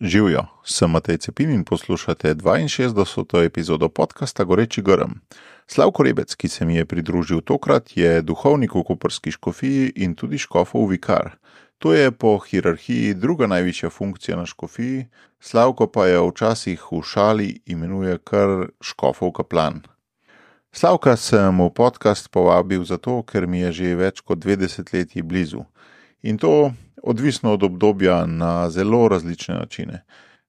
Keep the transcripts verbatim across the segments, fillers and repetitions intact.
Živjo, sem Matej Cepin in poslušate dvainšestdeseto epizodo podcasta Goreči grm. Slavko Rebec, ki se mi je pridružil tokrat, je duhovnik v koprski škofiji in tudi škofov vikar. To je po hierarhiji druga najvišja funkcija na škofiji, Slavko pa je včasih v šali imenuje kar škofov kaplan. Slavka sem v podcast povabil zato, ker mi je že več kot dve desetletji blizu. In to odvisno od obdobja na zelo različne načine.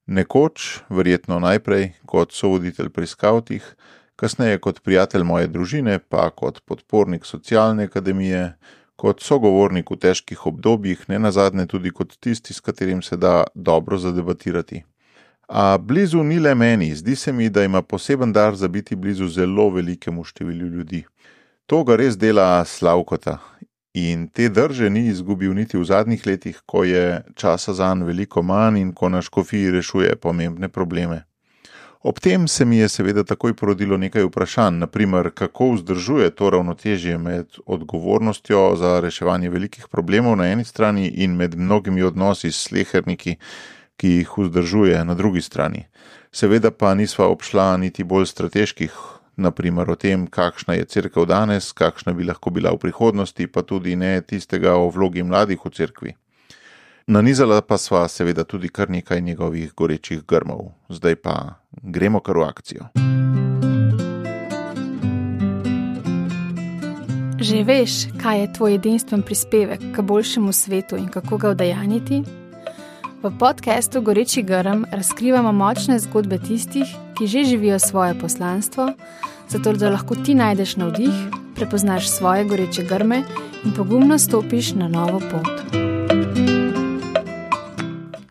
Nekoč, verjetno najprej, kot sovoditelj pri skavtih, kasneje kot prijatelj moje družine, pa kot podpornik socialne akademije, kot sogovornik v težkih obdobjih, nenazadnje tudi kot tisti, s katerim se da dobro zadebatirati. A blizu ni le meni, zdi se mi, da ima poseben dar za biti blizu zelo velikemu številu ljudi. To ga res dela Slavkota. In te drže ni izgubil niti v zadnjih letih, ko je časa zanj veliko manj in ko na škofiji rešuje pomembne probleme. Ob tem se mi je seveda takoj porodilo nekaj vprašanj, na primer, kako vzdržuje to ravnotežje med odgovornostjo za reševanje velikih problemov na eni strani in med mnogimi odnosi s sleherniki, ki jih vzdržuje na drugi strani. Seveda pa nisva obšla niti bolj strateških, na primer o tem, kakšna je cerkev danes, kakšna bi lahko bila v prihodnosti, pa tudi ne tistega o vlogi mladih v cerkvi. Nanizala pa sva seveda tudi kar nekaj njegovih gorečih grmov. Zdaj pa gremo kar v akcijo. Že veš, kaj je tvoj edinstven prispevek k boljšemu svetu in kako ga udejanjiti? V podcastu Goreči grm razkrivamo močne zgodbe tistih, ki že živijo svoje poslanstvo, zato da lahko ti najdeš navdih, prepoznaš svoje goreče grme in pogumno stopiš na novo pot.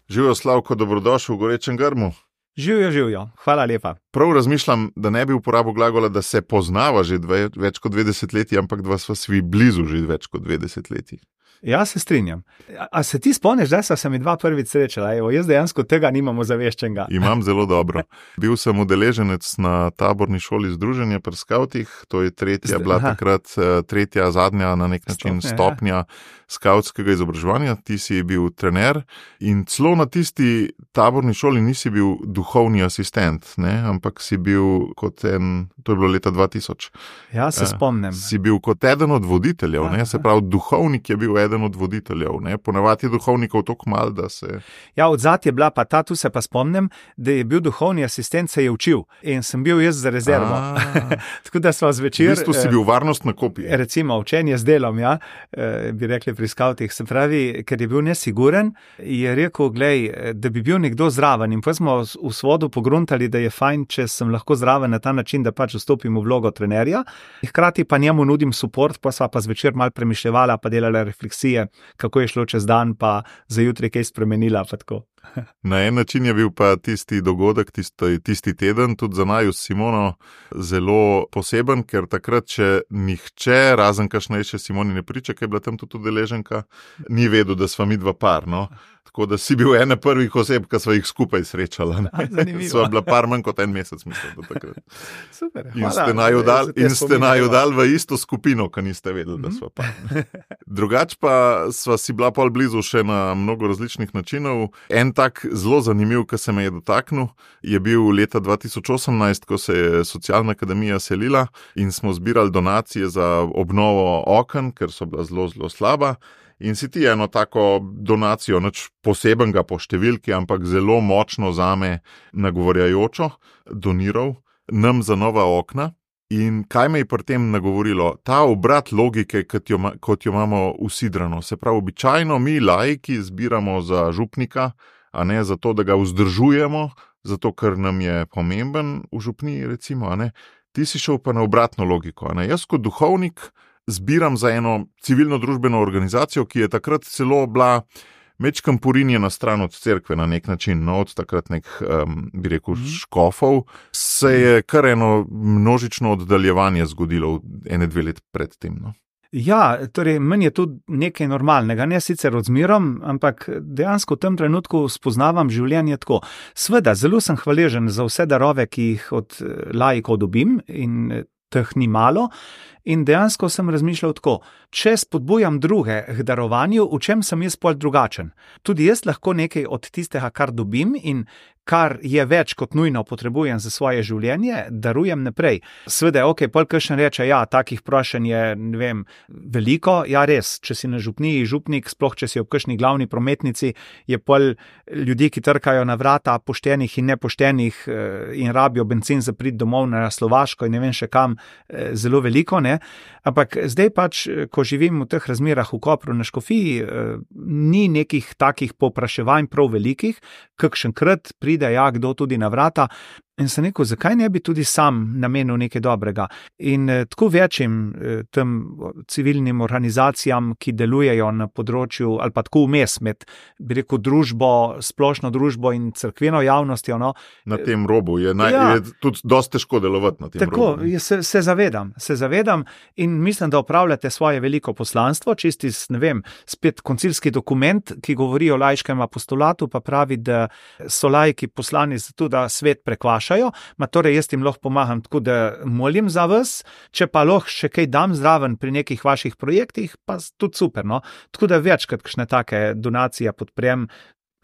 Živjo, Slavko, dobrodošel v Gorečem grmu. Živjo, živjo. Hvala lepa. Prav razmišljam, da ne bi uporabil glagola, da se poznava že dve, več kot dve desetletji, ampak da sva svi blizu že več kot dve desetletji. Ja, se strinjam. A, a se ti spomniš, da sva se mi dva prvič srečala? Evo, jaz dejansko tega nimamo zaveščenega. Imam zelo dobro. Bil sem udeleženec na taborni šoli združenja pri skavtih, to je tretja, bila takrat tretja, zadnja na nek način stopnja, stopnja skavtskega izobraževanja. Ti si bil trener in celo na tisti taborni šoli nisi bil duhovni asistent, ne? Ampak si bil kot en, to je bilo leta dva tisoč. Ja, se spomnim. Si bil kot eden od voditeljev, ne? Se pravi, duhovnik je bil eden od voditeljev, ne? Ponavadi je duhovnikov toliko malo, da se... Ja, odzad je bila pa ta, tu se pa spomnim, da je bil duhovni asistent, se je učil in sem bil jaz za rezervo. Tako da sva zvečer... V bistvu si bil varnost na kopiji. Recimo, učenje z delom, ja, bi rekli pri skavtih. Se pravi, ker je bil nesiguren, je rekel, glej, da bi bil nekdo zraven in pa smo v svodu pogruntali, da je fajn, če sem lahko zraven na ta način, da pač vstopim v vlogo trenerja. Hkrati pa njemu nudim suport, pa sva pa zvečer malo premišljevala, pa delala refleksije, kako je šlo čez dan, pa za jutri kaj spremenila, pa tako. Na en način je bil pa tisti dogodek, tisti, tisti teden, tudi za naju s Simono zelo poseben, ker takrat, če nihče, razen kakšnejše Simoni ne priča, ker je bila tam tudi udeleženka, ni vedel, da sva mi dva par, no. Tako da si bil ena prvih oseb, ki sva jih skupaj srečala. Sva bila par manj kot en mesec, mislim, do takrat. Super, in ste naju dal, in ste naju dal v isto skupino, ko niste vedeli, da sva par. Drugač pa sva si bila pol blizu še na mnogo različnih načinov. En tak zelo zanimiv, ki se me je dotaknil, je bil leta dva tisoč osemnajst, ko se je socialna akademija selila in smo zbirali donacije za obnovo oken, ker so bila zelo, zelo slaba. In si ti eno tako donacijo, nič posebenega po številki, ampak zelo močno zame nagovorjajočo doniral nam za nova okna. In kaj me je pri tem nagovorilo? Ta obrat logike, kot jo, kot jo imamo usidrano. Se pravi, običajno mi laiki zbiramo za župnika, a ne zato, da ga vzdržujemo, zato, ker nam je pomemben v župniji, recimo, a ne. Ti si šel pa na obratno logiko, a ne. Jaz kot duhovnik zbiram za eno civilno-družbeno organizacijo, ki je takrat celo bila mečkam porinjena stran od cerkve na nek način, no, od takrat nek, um, bi rekel, škofov, se je kar eno množično oddaljevanje zgodilo ene dve let pred tem, no. Ja, torej, meni je to nekaj normalnega, ne sicer odzmerom, ampak dejansko v tem trenutku spoznavam življenje tako. Sveda, zelo sem hvaležen za vse darove, ki jih od laikov dobim in teh ni malo. In dejansko sem razmišljal tako, če spodbujam druge k darovanju, v čem sem jaz pol drugačen. Tudi jaz lahko nekaj od tistega, kar dobim in kar je več kot nujno potrebujem za svoje življenje, darujem naprej. Sveda, ok, pol kakšen reče, ja, takih prošenj je, ne vem, veliko, ja res, če si na župniji župnik, sploh če si ob kakšni glavni prometnici, je pol ljudi, ki trkajo na vrata poštenih in nepoštenih in rabijo bencin za priti domov na Slovaško in ne vem še kam, zelo veliko, ne. Ampak zdaj pač, ko živim v teh razmerah v Kopru na Škofiji, ni nekih takih povpraševanj prav velikih, kakšenkrat pride ja, kdo tudi na vrata. In sem rekel, zakaj ne bi tudi sam namenil nekaj dobrega. In eh, tako večjim eh, tem civilnim organizacijam, ki delujejo na področju, ali pa tako vmes med, bi rekel, družbo, splošno družbo in cerkveno javnostjo. No. Na tem robu je, naj, ja, je tudi dosti težko delovati na tem tako, robu. Tako, se, se zavedam, se zavedam in mislim, da opravljate svoje veliko poslanstvo, čisti, ne vem, spet koncilski dokument, ki govori o laiškem apostolatu, pa pravi, da so laiki poslani zato, da svet prekvaša. Ma torej jaz jim lahko pomagam tako, da molim za vas, če pa lahko še kaj dam zraven pri nekih vaših projektih, pa tudi super, no. Tako da večkrat kakšne take donacije podprem,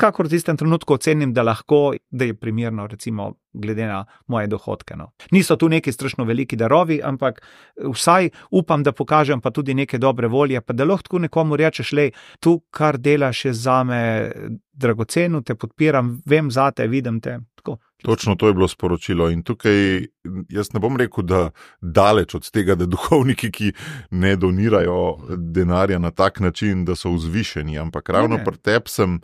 kakor v tistem trenutku ocenim, da lahko, da je primerno, recimo, glede na moje dohodke, no. Niso tu neki strašno veliki darovi, ampak vsaj upam, da pokažem pa tudi neke dobre volje, pa da lahko tako nekomu rečeš, lej, tu, kar delaš je zame dragoceno, te podpiram, vem zate, vidim te, tako. Točno to je bilo sporočilo in tukaj jaz ne bom rekel, da daleč od tega, da duhovniki, ki ne donirajo denarja na tak način, da so vzvišeni, ampak ravno pri tebi sem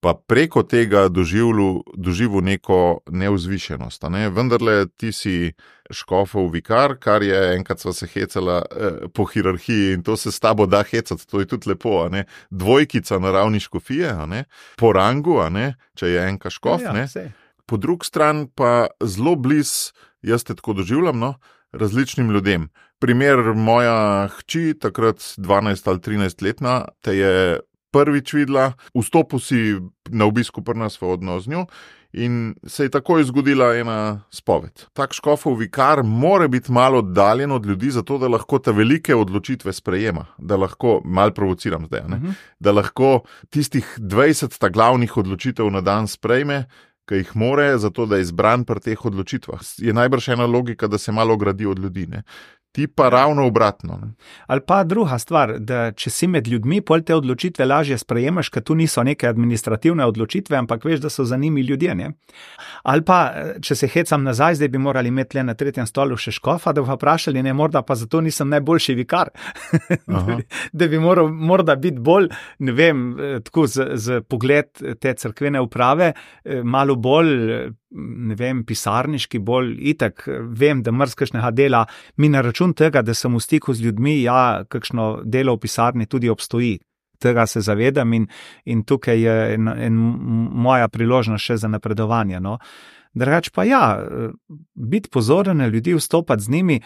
pa preko tega doživljal, doživel neko nevzvišenost. Ne? Vendarle ti si škofov vikar, kar je enkrat sva se hecala eh, po hierarhiji in to se s tabo da hecati, to je tudi lepo. A ne? Dvojkica na ravni škofije, a ne? Po rangu, a ne? Če je enka škof, ja, ja, ne? Po drugi strani pa zelo bliz, jaz te tako doživljam, no, različnim ljudem. Primer, moja hči, takrat dvanajst ali trinajst letna, te je prvič videla, vstopil si na obisku pri nas v odnos z njo in se je takoj zgodila ena spoved. Tak škofov vikar mora biti malo oddaljen od ljudi, zato da lahko te velike odločitve sprejema, da lahko, malo provociram zdaj, ne? Uh-huh. Da lahko tistih dvajset ta glavnih odločitev na dan sprejme, ki jih more, zato da je izbran pri teh odločitvah. Je najbrž ena logika, da se malo gradi od ljudi, ne? Ti pa ravno obratno. Ne? Ali pa druga stvar, da če si med ljudmi, pol te odločitve lažje sprejemaš, ker tu niso neke administrativne odločitve, ampak veš, da so za njimi ljudje, ne? Ali pa, če se hecam nazaj, zdaj bi morali imeti le na tretjem stolu še škofa, da bi vprašali, ne, morda pa zato nisem najboljši vikar. Da bi moral morda biti bolj, ne vem, tako z, z pogled te cerkvene uprave, malo bolj, ne vem, pisarniški, bolj itak, vem, da mrzkašnega dela mi na račun tega, da sem v stiku z ljudmi, ja, kakšno delo v pisarni tudi obstoji. Tega se zavedam in, in tukaj je en, en moja priložnost še za napredovanje. No. Drugač pa ja, biti pozoren na ljudi, vstopati z njimi,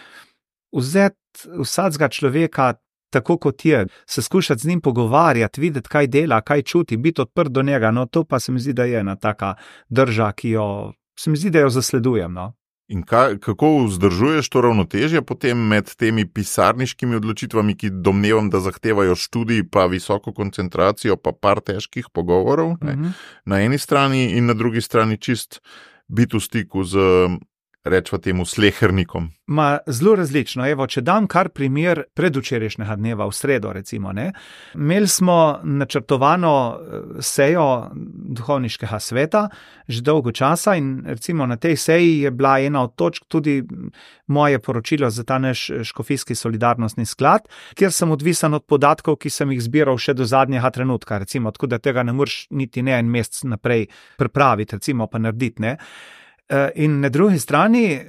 vzeti vsakega človeka tako kot je, se skušati z njim pogovarjati, videti, kaj dela, kaj čuti, biti odprt do njega, no to pa se mi zdi, da je ena taka drža, ki jo, se mi zdi, da jo zasledujem, no. In kaj, kako vzdržuješ to ravnotežje potem med temi pisarniškimi odločitvami, ki domnevam, da zahtevajo študij, pa visoko koncentracijo, pa par težkih pogovorov, ne, mm-hmm. na eni strani in na drugi strani čist biti v stiku z, rečva temu, slehernikom? Ma, zelo različno. Evo, če dam kar primer predvčerajšnjega dneva, v sredo recimo, ne, imeli smo načrtovano sejo duhovniškega sveta že dolgo časa in recimo na tej seji je bila ena od točk tudi moje poročilo za ta naš škofijski solidarnostni sklad, kjer sem odvisen od podatkov, ki sem jih zbiral še do zadnjega trenutka, recimo, tako da tega ne moreš niti ne en mesec naprej pripraviti, recimo pa narediti, ne. In na drugi strani,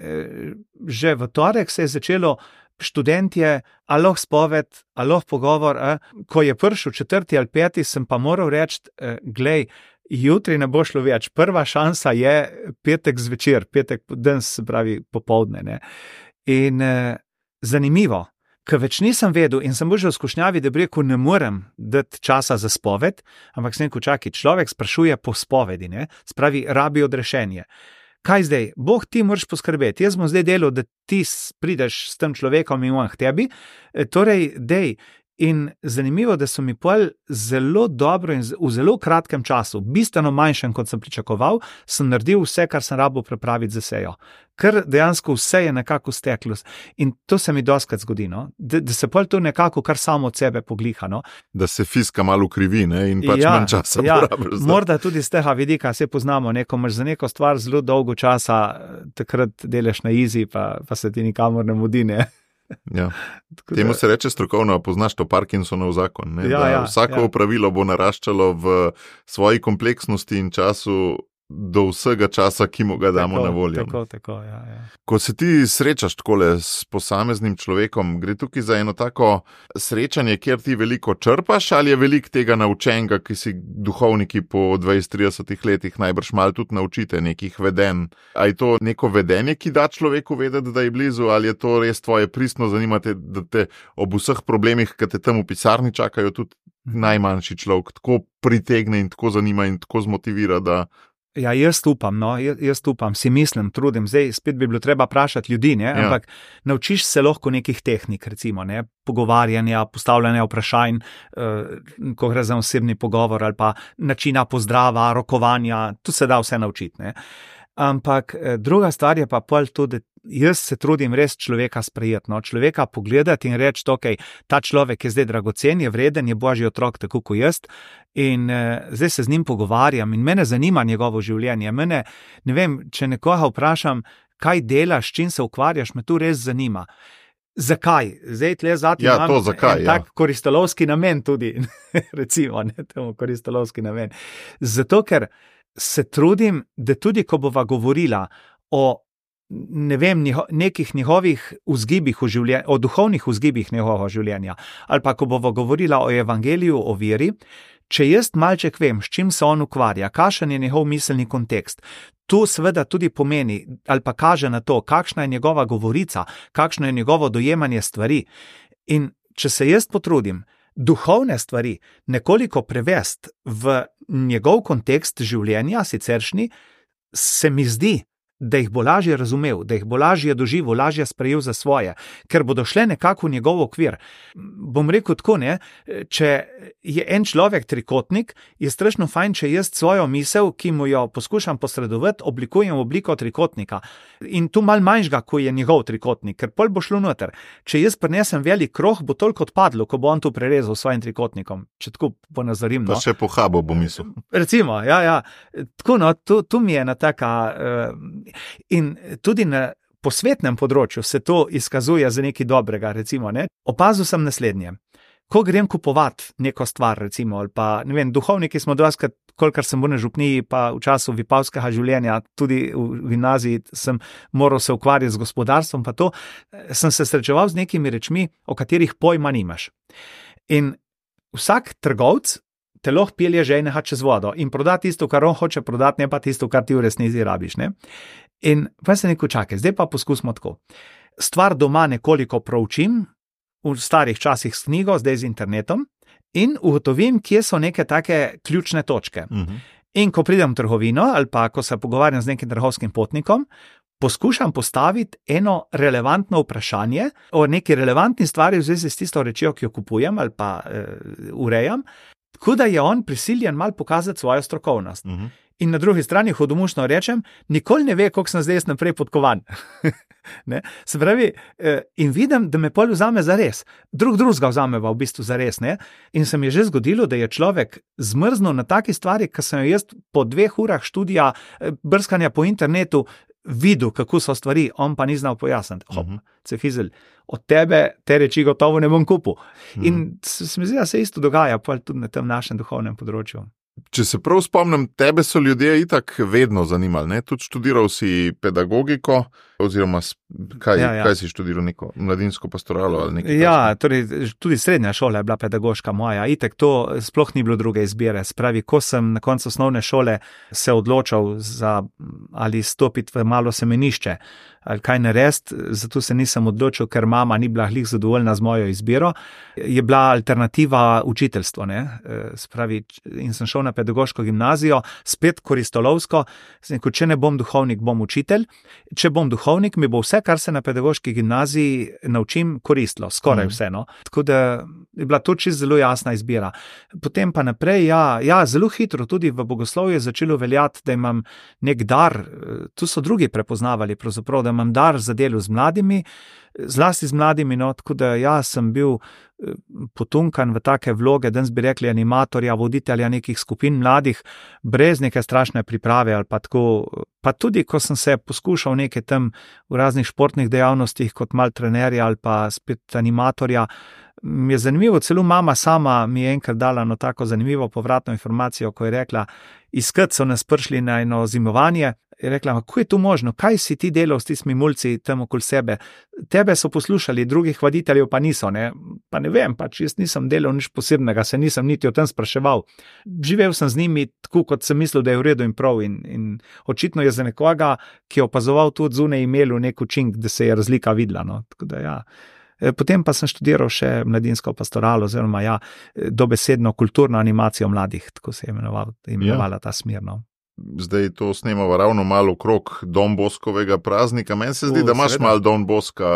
že v torek se je začelo študentje, a lahko spoved, a lahko pogovor, a, ko je prišel četrti ali peti, sem pa moral reči, glej, jutri ne bo šlo več, prva šansa je petek zvečer, petek danes, se pravi popoldne, ne. In eh, zanimivo, ker več nisem vedel in sem bil že v skušnjavi, da bi rekel, ne morem dati časa za spoved, ampak sem rekel, čakaj, človek sprašuje po spovedi, ne, spravi, rabi odrešenje. kaj zdaj, Bog ti moraš poskrbeti, jaz bom zdaj delal, da ti prideš s tem človekom in on k tebi, torej, dej. In zanimivo, da so mi pol zelo dobro in v zelo kratkem času, bistveno manjšem, kot sem pričakoval, sem naredil vse, kar sem rabil prepraviti za sejo. Ker dejansko vse je nekako steklo. In to se mi doskrat zgodi, no? da, da se pol to nekako kar samo od sebe pogliha. No? Da se fiska malo krivi, ne? In pač ja, manj časa ja, porabiš. Morda tudi z tega vidika se poznamo, neko imaš za neko stvar zelo dolgo časa, takrat delaš na easy, pa, pa se ti nikamor ne mudi, ne? Ja. Temu se reče strokovno, poznaš to Parkinsonov zakon. Ne? Ja, ja, vsako ja. pravilo bo naraščalo v svoji kompleksnosti in času do vsega časa, ki mu ga damo tako, na voljo. Tako, tako, ja, ja. Ko se ti srečaš takole s posameznim človekom, gre tukaj za eno tako srečanje, kjer ti veliko črpaš, ali je veliko tega naučenega, ki si duhovniki po dvajset trideset letih najbrž malo tudi naučite nekih vedenj. A je to neko vedenje, ki da človeku vedeti, da je blizu, ali je to res tvoje pristno zanimate, da te ob vseh problemih, ki te tam v pisarni čakajo, tudi najmanjši človek tako pritegne in tako zanima in tako zmotivira, da Ja, jaz upam, no, jaz, jaz upam, si mislim, trudim, zdaj spet bi bilo treba vprašati ljudi, ne, ja. ampak naučiš se lahko nekih tehnik, recimo, ne, pogovarjanja, postavljanja vprašanj, eh, ko gre za osebni pogovor ali pa načina pozdrava, rokovanja, tu se da vse naučiti, ne. Ampak eh, druga stvar je pa pol tudi, jaz se trudim res človeka sprejeti, no, človeka pogledati in reči, ok, ta človek je zdaj dragocen, je vreden, je božji otrok, tako kot jaz, in eh, zdaj se z njim pogovarjam in mene zanima njegovo življenje. Mene, ne vem, če nekoga vprašam, kaj delaš, čim se ukvarjaš, me tu res zanima. Zakaj? Zdaj tle zati ja, imam to, zakaj, en ja. tak koristolovski namen tudi, recimo, ne, temu koristolovski namen. Zato, ker se trudim, da tudi, ko bova govorila o ne vem, njiho, nekih njihovih vzgibih v življenju, o duhovnih vzgibih njihovega življenja, ali pa ko bova govorila o evangeliju, o veri, če jaz malček vem, s čim se on ukvarja, kakšen je njegov miselni kontekst, to seveda tudi pomeni, ali pa kaže na to, kakšna je njegova govorica, kakšno je njegovo dojemanje stvari. In če se jaz potrudim, duhovne stvari nekoliko prevesti v njegov kontekst življenja, siceršnji, se mi zdi, da jih bo lažje razumel, da jih bo lažje doživel, lažje sprejel za svoje, ker bodo šle nekako v njegov okvir. Bom rekel tako, ne, če je en človek trikotnik, je strašno fajn, če jaz svojo misel, ki mu jo poskušam posredovati, oblikujem v obliko trikotnika. In tu malo manjšga, ko je njegov trikotnik, ker pol bo šlo noter. Če jaz prinesem velik kroh, bo toliko odpadlo, ko bo on tu prerezal s svojim trikotnikom. Če tako ponazorim. No. Pa še pohabo bo mislil. Recimo, ja, ja. Tako, no, tu, tu mi je ena taka... Uh, In tudi na posvetnem področju se to izkazuje za nekaj dobrega, recimo, ne. Opazil sem naslednje. Ko grem kupovati neko stvar, recimo, ali pa, ne vem, duhovniki smo doskrat, kolikor sem bil na župniji, pa v času vipavskega življenja, tudi v gimnaziji sem moral se ukvarjati z gospodarstvom, pa to, sem se srečeval z nekimi rečmi, o katerih pojma nimaš. In vsak trgovec te lahko pelje žejnega čez vodo in proda tisto, kar on hoče prodati, ne pa tisto, kar ti v resnici rabiš, ne. In pa se neko čakaj, zdaj pa poskusimo tako. Stvar doma nekoliko proučim, v starih časih s knjigo, zdaj z internetom, in ugotovim, kje so neke take ključne točke. Uh-huh. In ko pridem v trgovino, ali pa ko se pogovarjam z nekim trgovskim potnikom, poskušam postaviti eno relevantno vprašanje o neki relevantni stvari v zvezi s tisto rečijo, ki jo kupujem ali pa uh, urejam, tako da je on prisiljen mal pokazati svojo strokovnost. Uh-huh. In na drugi strani hudomušno rečem, nikoli ne ve, koliko sem zdaj naprej podkovan. Ne? Se pravi, in vidim, da me pol vzame za res. Drug drugega vzameva v bistvu za res. Ne? In se mi je že zgodilo, da je človek zmrznil na taki stvari, ki sem jo jaz po dveh urah študija, brskanja po internetu videl, kako so stvari, on pa ni znal pojasniti. Hop, uh-huh. Cefizel, od tebe te reči gotovo ne bom kupil. Uh-huh. In se mi zdi, da se isto dogaja pol tudi na tem našem duhovnem področju. Če se prav spomnim, tebe so ljudje itak vedno zanimali, ne? Tudi študiral si pedagogiko, Oziroma, kaj, Ja, ja. kaj si študiral, neko mladinsko pastoralo ali nekaj? Ja, torej, tudi srednja šola je bila pedagoška moja. Itek to sploh ni bilo druge izbire. Spravi, ko sem na koncu osnovne šole se odločal za ali stopiti v malo semenišče ali kaj narediti, zato se nisem odločil, ker mama ni bila glih zadovoljna z mojo izbiro, je bila alternativa učiteljstvo, ne. Spravi, in sem šel na pedagoško gimnazijo, spet koristolovsko, sem rekel, če ne bom duhovnik, bom učitelj, če bom duhovnik, mi bo vse, kar se na pedagoški gimnaziji naučim, koristilo, skoraj vse, no. Tako da je bila to čisto zelo jasna izbira. Potem pa naprej, ja, ja, zelo hitro tudi v bogoslovju je začelo veljati, da imam nek dar, tu so drugi prepoznavali pravzaprav, da imam dar za delo z mladimi, zlasti z mladimi, no, tako da ja, sem bil potunkan v take vloge, danes bi rekli animatorja, voditelja nekih skupin mladih, brez neke strašne priprave ali pa tako, pa tudi, ko sem se poskušal nekaj tam v raznih športnih dejavnostih kot mal trenerja ali pa spet animatorja, mi je zanimivo, celo mama sama mi je enkrat dala no tako zanimivo povratno informacijo, ko je rekla, iskat so nas prišli na eno zimovanje, je rekla, kako je to možno, kaj si ti delal s tistimi mulci tam okoli sebe, tebe so poslušali, drugih vaditeljev pa niso, ne, pa ne vem, pač jaz nisem delal nič posebnega, se nisem niti o tem spraševal, živel sem z njimi tako, kot sem mislil, da je v redu in prav in, in očitno je za nekoga, ki je opazoval tudi zunaj imelu nek učink, da se je razlika videla, no, tako da ja. Potem pa sem študiral še mladinsko pastoralo, oziroma ja, dobesedno kulturno animacijo mladih, tako se je imenoval, imenovala ta smer, no. Zdaj to snemamo ravno malo okrog Don Boskovega praznika. Meni se zdi, U, da imaš seveda. malo Don Boska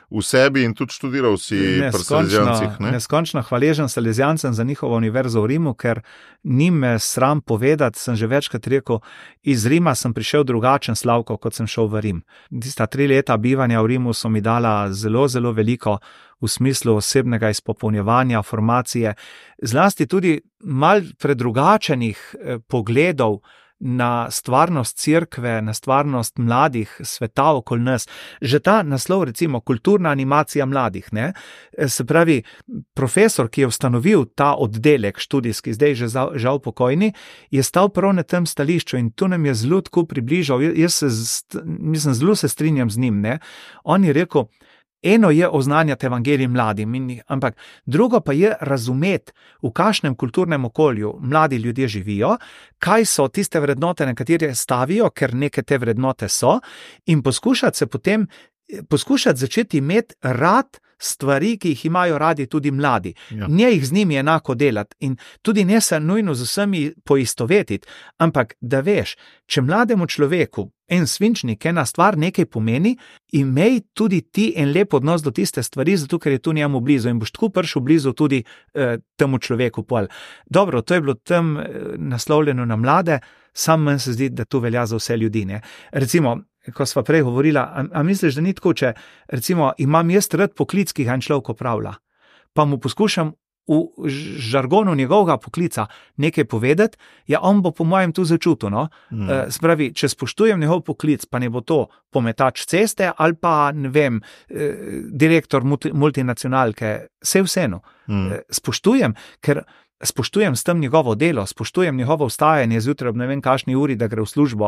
v sebi in tudi študiral si pri Salezijancih, ne? Neskončno hvaležen Salezijancem za njihovo univerzo v Rimu, ker ni me sram povedati, sem že večkrat rekel, iz Rima sem prišel drugačen, Slavko, kot sem šel v Rim. Tista tri leta bivanja v Rimu so mi dala zelo, zelo veliko v smislu osebnega izpopolnjevanja, formacije, zlasti tudi mal predrugačenih eh, pogledov na stvarnost cerkve, na stvarnost mladih, sveta okoli nas. Že ta naslov, recimo, kulturna animacija mladih, ne, se pravi, profesor, ki je ustanovil ta oddelek študijski, zdaj že žal pokojni, je stal prav na tem stališču in tu nam je zelo tako približal, jaz se, mislim, zelo se strinjam z njim, ne, on je rekel, eno je oznanjati evangelij mladim, ampak drugo pa je razumeti, v kakšnem kulturnem okolju mladi ljudje živijo, kaj so tiste vrednote, na katere stavijo, ker neke te vrednote so, in poskušati se potem, poskušati začeti imeti rad stvari, ki jih imajo radi tudi mladi. Ja. Ne jih z njimi enako delati in tudi ne se nujno z vsemi poistovetiti, ampak da veš, če mlademu človeku en svinčnik, ena stvar nekaj pomeni, imej tudi ti en lep odnos do tiste stvari, zato ker je tu njemu blizu in boš tako prišel blizu tudi eh, temu človeku pol. Dobro, to je bilo tam eh, naslovljeno na mlade, sam meni se zdi, da to velja za vse ljudi, ne. Recimo, ko sva prej govorila, a, a misliš, da ni tako, če recimo imam jaz rad poklic, ki ga en človek opravlja, pa mu poskušam v žargonu njegovega poklica nekaj povedati, ja, on bo po mojem tu začutil, no. Mm. E, spravi, če spoštujem njegov poklic, pa ne bo to pometač ceste ali pa, ne vem, e, direktor multi, multinacionalke, vse vseeno. Mm. E, spoštujem, ker spoštujem s tem njegovo delo, spoštujem njegovo vstajanje zjutraj ob ne vem kakšni uri, da gre v službo,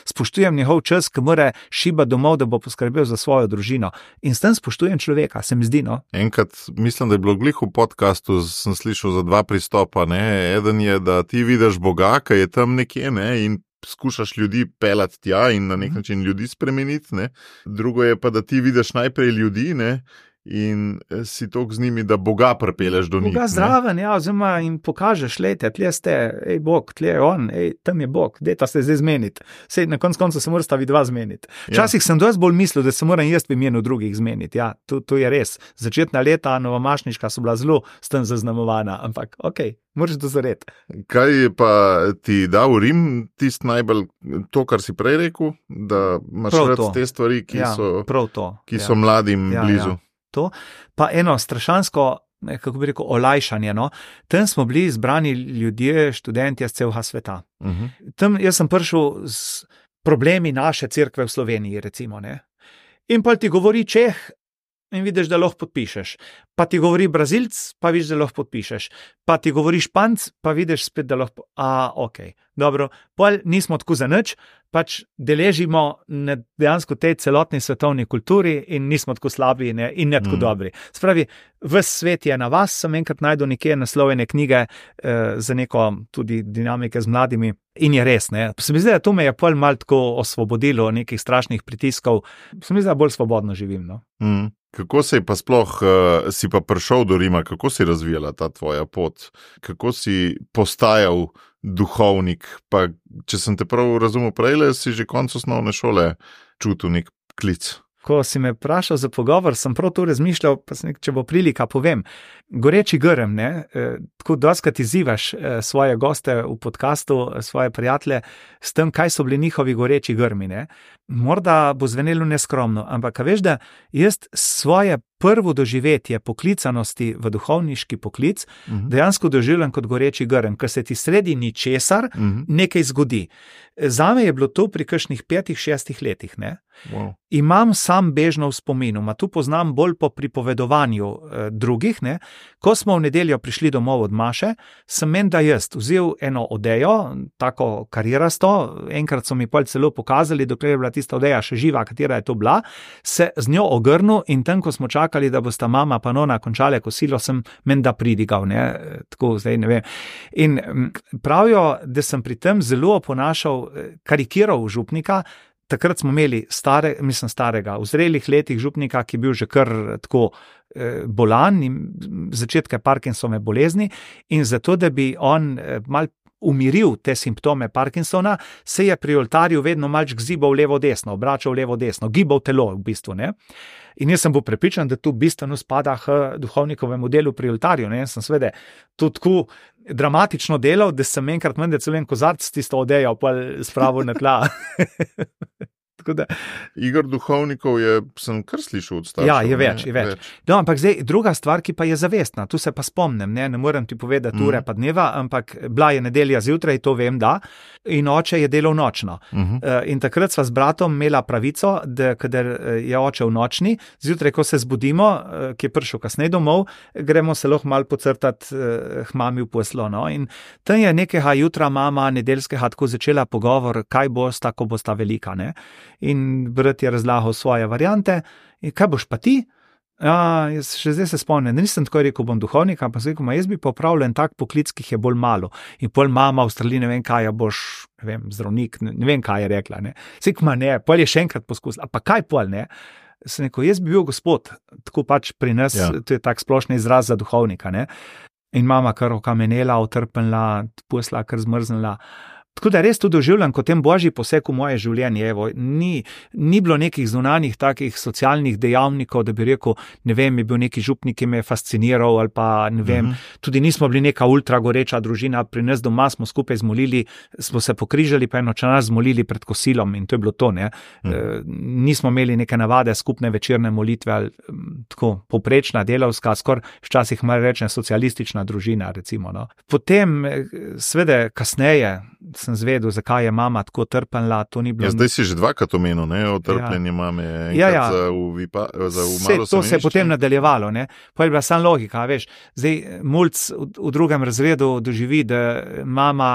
spoštujem njegov čas, ki mora šibati domov, da bo poskrbel za svojo družino. In s tem spoštujem človeka, se mi zdi, no. Enkrat, mislim, da je bilo glih v podcastu, sem slišal za dva pristopa, ne. Eden je, da ti vidiš Boga, ki je tam nekje, ne, in skušaš ljudi pelati tja in na nek način ljudi spremeniti, ne. Drugo je pa, da ti vidiš najprej ljudi, ne, in si tok z njimi, da Boga pripeleš do njih. Boga zraven, ja, oziroma jim pokažeš, lejte, tle ste, ej Bog, tle je on, ej, tam je Bog, dejta se zdaj zmeniti. Sej na konc koncu se morata vidva zmeniti. Včasih ja. Sem dosti bolj mislil, da se moram jaz v imenu drugih zmeniti, ja, to, to je res. Začetna leta novomašniška so bila zelo s tem zaznamovana, ampak okej, okay, moraš dozoreti. Kaj je pa ti dal Rim tist najbolj, to, kar si prej rekel, da imaš rad te stvari, ki ja, so, to, ki ja. so mladim ja, blizu? Ja. To, pa eno strašansko, kako bi rekel, olajšanje, no. Tam smo bili zbrani ljudje, študentje z celega sveta. Uh-huh. Tam jaz sem prišel z problemi naše cerkve v Sloveniji, recimo, ne. In pa ti govori Čeh, in vidiš, da lahko podpišeš. Pa ti govori Brazilc, pa vidiš, da lahko podpišeš. Pa ti govori Španc, pa vidiš spet, da lahko... A, ok, dobro. Pol nismo tako za nič, pač deležimo na dejansko tej celotni svetovni kulturi in nismo tako slabi ne, in ne tako mm. dobri. Spravi, ves svet je na vas, sem enkrat najdel nekje naslovene knjige eh, za neko tudi dinamike z mladimi in je res, ne. Se mi zdi, da to me je pol malo tako osvobodilo nekih strašnih pritiskov. Se mi zdi, da bolj svobodno živim, no. Mm. Kako si pa sploh, uh, si pa prišel do Rima, kako si razvijala ta tvoja pot? Kako si postajal duhovnik? Pa, če sem te prav razumel prejle, si že konec osnovne šole čutil nek klic. Ko si me vprašal za pogovor, sem prav to razmišljal, pa sem, če bo prilika, povem. Goreči grm, ne, tako doskrat izzivaš svoje goste v podcastu, svoje prijatelje, s tem, kaj so bili njihovi goreči grmi, ne. Morda bo zvenelo neskromno, ampak veš, da jaz svoje prvo doživetje poklicanosti v duhovniški poklic uh-huh. dejansko doživljam kot goreči grm, ker se ti sredi ničesar uh-huh. nekaj zgodi. Zame je bilo to pri kakšnih petih, šestih letih, ne. Wow. Imam sam bežno v spominu, ma tu poznam bolj po pripovedovanju eh, drugih, ne. Ko smo v nedeljo prišli domov od maše, sem menda jaz vzel eno odejo, tako karirasto, enkrat so mi pol celo pokazali, dokler je bila tista odeja še živa, katera je to bila, se z njo ogrnil in tam, ko smo čakali, da bosta mama pa nona končale kosilo, sem menda pridigal, ne, tako zdaj ne vem. In pravijo, da sem pri tem zelo oponašal, karikiral župnika. Takrat smo imeli stare, mislim starega, v zrelih letih župnika, ki je bil že kar tako eh, bolan in začetke Parkinsonove bolezni in zato, da bi on eh, mal umiril te simptome Parkinsona, se je pri oltarju vedno malč gzibal levo-desno, obračal levo-desno, gibal telo v bistvu, ne. In jaz sem bil prepričan, da tu bistveno spada k duhovnikovemu delu pri oltarju, ne, jaz sem seveda tudi tako dramatično delal, da sem enkrat mende celo en kozarc tisto odejo pa spravil na tla. Da... Igor duhovnikov je, sem kar slišal od staršev. Ja, je več, je več. več. No, ampak zdaj, druga stvar, ki pa je zavestna, tu se pa spomnim, ne, ne morem ti povedati ure mm. pa dneva, ampak bila je nedelja zjutraj, to vem, da, in oče je delal nočno. Mm-hmm. Uh, in takrat sva z bratom imela pravico, da kadar je oče v nočni, zjutraj, ko se zbudimo, uh, ki je prišel kasneje domov, gremo se lahko malo pocrtati uh, k mami v poslo, no, in tam je nekega jutra mama nedeljskega tako začela pogovor, kaj bosta, ko bosta velika, ne. In brat je razlagal svoje variante. In kaj boš pa ti? Ja, jaz še zdaj se spomnim, nisem tako rekel, bom duhovnik, ampak sem rekel, jaz bi popravil en tak poklic, ki je bolj malo. In pol mama v Avstraliji, ne vem kaj, boš, ne vem, zdravnik, ne, ne vem kaj je rekla, ne. Sekma ne, pol je še enkrat poskusila, pa kaj pol, ne. Sem rekel, jaz bi bil gospod, tako pač pri nas, ja. To je tak splošni izraz za duhovnika, ne. In mama kar okamenela, utrpnila, posla kar zmrznila. Tako da res to doživljam kot tem božji poseg v moje življenje. Evo, ni, ni bilo nekih zunanjih takih socialnih dejavnikov, da bi rekel, ne vem, je bil neki župnik, ki me je fasciniral ali pa ne vem, mm-hmm. tudi nismo bili neka ultra goreča družina, pri nas doma smo skupaj zmolili, smo se pokrižali pa eno čas zmolili pred kosilom in to je bilo to, ne. Mm-hmm. E, nismo imeli neke navade skupne večerne molitve ali tako poprečna delavska, skoraj včasih malo rečem socialistična družina, recimo, no. Potem, seveda, kasneje sem zvedel, zakaj je mama tako trpela, to ni bilo... Ja, zdaj si že dvakrat omenil, ne, o trpljenju ja. Mame, enkrat ja, ja. za v, vipa, za v malo to se je potem nadaljevalo, ne. Pa je bila sam logika, veš, zdaj mulc v, v drugem razredu doživi, da mama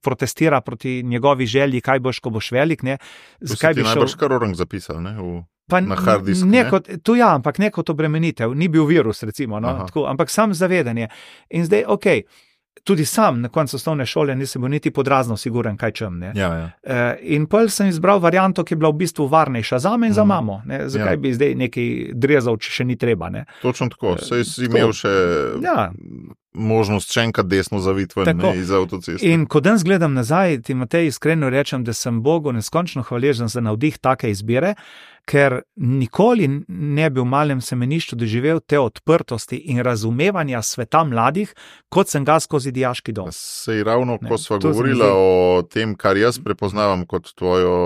protestira proti njegovi želji, kaj boš, ko boš velik, ne. Zakaj bi šel... najbrž kar orang zapisal, ne, v... Pa na hard disk, nekot, tu ja, ampak neko to obremenitev, ni bil virus, recimo, no, tako, ampak sam zavedanje. In zdaj, okej, okay, tudi sam na koncu osnovne šole nisem bil niti podrazno siguren, kaj čem, ne. Ja, ja. E, in pol sem izbral varianto, ki je bila v bistvu varnejša za me in za mm. mamo, ne. Zakaj ja. bi zdaj nekaj drezal, če še ni treba, ne. Točno tako, saj si imel še ja. možnost še enkrat desno zaviti ven, ne, iz avtoceste. In ko danes gledam nazaj, ti Matej iskreno rečem, da sem Bogu neskončno hvaležen za navdih take izbire, ker nikoli ne bi v malem semenišču doživel te odprtosti in razumevanja sveta mladih, kot sem ga skozi dijaški dom. Sej ravno, ne, ko sva govorila o tem, kar jaz prepoznavam kot tvojo,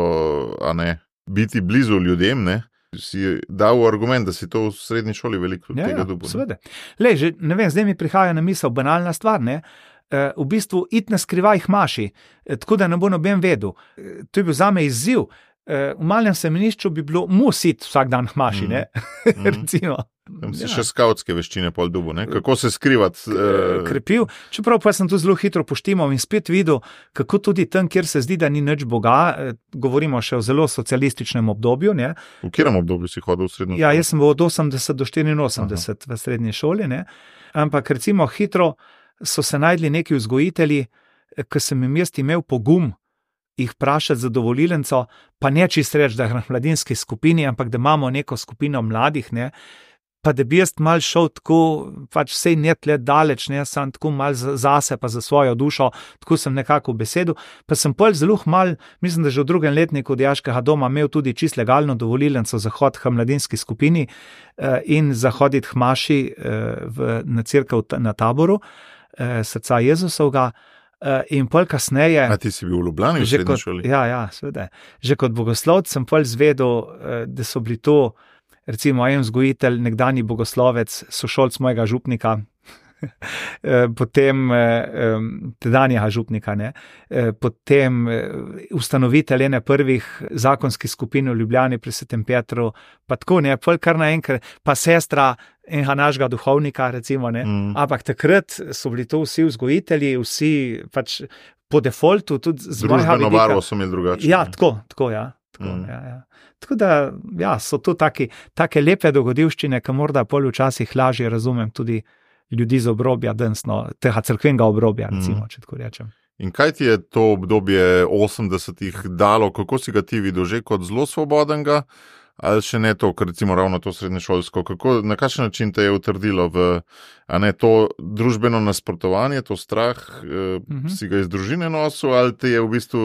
a ne, biti blizu ljudem, ne, si dal argument, da si to v srednji šoli veliko ja, tega dobil. Ja, seveda. Lej, že, ne vem, zdaj mi prihaja na misel banalna stvar, ne, e, v bistvu it na skrivaj maši, e, tako da ne bo noben vedel. E, to je bil zame izziv. v malem semenišču bi bilo musit vsak dan hmaši, ne, mm. recimo. Tam si ja. še skautske veščine pol dubu, ne? Kako se skrivati. Uh... Krepil, čeprav pa sem tu zelo hitro poštimal in spet videl, kako tudi tam, kjer se zdi, da ni nič Boga, govorimo še o zelo socialističnem obdobju. Ne? V katerem obdobju si hodil v srednjo šolo? Ja, jaz sem bil od osemdeset do štiriinosemdeset Aha. v srednji šoli, ne? Ampak recimo hitro so se najdli neki vzgojitelji, ki sem jim jaz imel pogum jih vprašati za dovolilnico, pa ne čist reči, da je na mladinski skupini, ampak da imamo neko skupino mladih, ne? Pa da bi jaz mal šel tako, pač sej net let daleč, ne, sem tako mal zase, pa za svojo dušo, tako sem nekako v besedu, pa sem pol zelo mal, mislim, da že v drugem letniku dijaškega doma imel tudi čist legalno dovolilnico za hod k mladinski skupini eh, in za hoditi k maši eh, v, na cerkev na Taboru, eh, srca Jezusovga, eh, in pol kasneje... A ti si bil v Ljubljani v srednji šoli? Ja, ja, seveda. Že kot bogoslovec sem pol zvedel, eh, da so bili to recimo en vzgojitelj, nekdanji bogoslovec, sošolc mojega župnika, potem tedanjega župnika, ne? Potem ustanovitelj ene prvih zakonskih skupin v Ljubljani pri Svetem Petru, pa tako ne, pol kar naenkrat, pa sestra enega našega duhovnika, recimo, ne, mm. ampak takrat so bili to vsi vzgojitelji, vsi pač po defaultu, tudi z mojega vidika. Družbeno barvo so imeli drugače. Ja, tako, tako, ja. Tako, mm. ja, ja. Tako da, ja, so to taki, take lepe dogodivščine, ki morda pol včasih lažje razumem tudi ljudi z obrobja, densno, tega crkvenega obrobja, recimo, mm. če tako rečem. In kaj ti je to obdobje osemdesetih dalo, kako si ga ti videl, že kot zelo svobodenga, ali še ne to, ker recimo ravno to srednješolsko, kako, na kakšen način te je utrdilo v, a ne to družbeno nasprotovanje, to strah, eh, mm-hmm. si ga iz družine nosil, ali te je v bistvu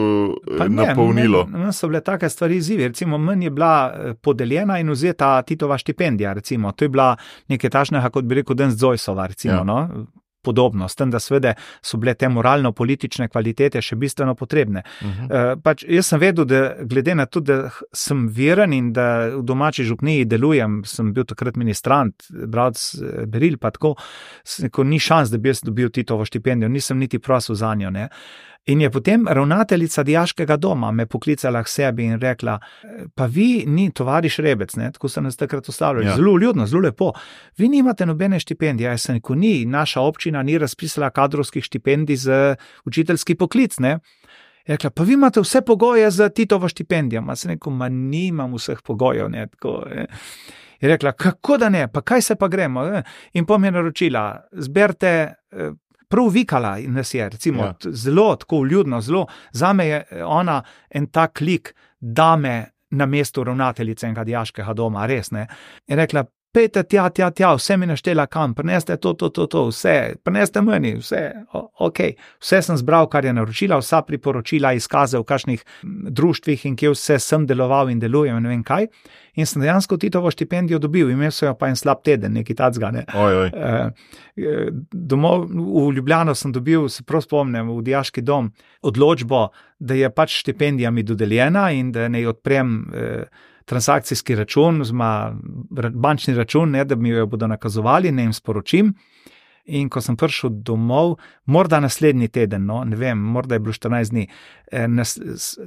eh, napolnilo? Ne, so bile take stvari izzivi, recimo meni je bila podeljena in vzeta Titova štipendija, recimo, to je bila nekaj tašnega, kot bi rekel, Denz Zoisova, recimo, ja. no, podobno, s tem, da svede so bile te moralno-politične kvalitete še bistveno potrebne. Uh-huh. Uh, pač jaz sem vedel, da glede na to, da sem veren in da v domači župniji delujem, sem bil takrat ministrant, bravc beril, pa tako, ko ni šans, da bi jaz dobil Titovo štipendijo, nisem niti prosil za njo, ne. In je potem ravnateljica dijaškega doma me poklicala k sebi in rekla, pa vi ni tovariš Rebec, ne, tako so nas takrat ustavljali, ja. zelo ljudno, zelo lepo, vi nimate nobene štipendije, jaz sem rekel, ni, naša občina ni razpisala kadrovskih štipendij za učiteljski poklic, ne. Je rekla, pa vi imate vse pogoje za Titovo štipendijo, ma sem rekel, ma nimam vseh pogojev, ne, tako, ne. Je rekla, kako da ne, pa kaj se pa gremo, ne? In pa mi je naročila, zberte prav vikala nas je, recimo, ja. zelo tako vljudno, zelo, zame je ona en tak lik dame na mestu ravnateljice enega dijaškega doma, res, ne. Je rekla, pejte tja, tja, tja, vse mi naštela kam, prineste to, to, to, to, vse, prineste meni, vse, o, ok, vse sem zbral, kar je naročila, vsa priporočila, izkaze v kakšnih društvih in kje vse sem deloval in delujem, ne vem kaj, in sem dejansko Titovo štipendijo dobil, imel so jo pa en slab teden, nekaj tacga, ne. Oj, oj. E, domov, v Ljubljano sem dobil, se prav spomnim, v dijaški dom, odločbo, da je pač štipendija mi dodeljena in da ne odprem eh, transakcijski račun, zma, bančni račun, ne, da mi jo bodo nakazovali, ne jim sporočim. In ko sem prišel domov, morda naslednji teden, no, ne vem, morda je bilo štirinajst dni, eh, nas,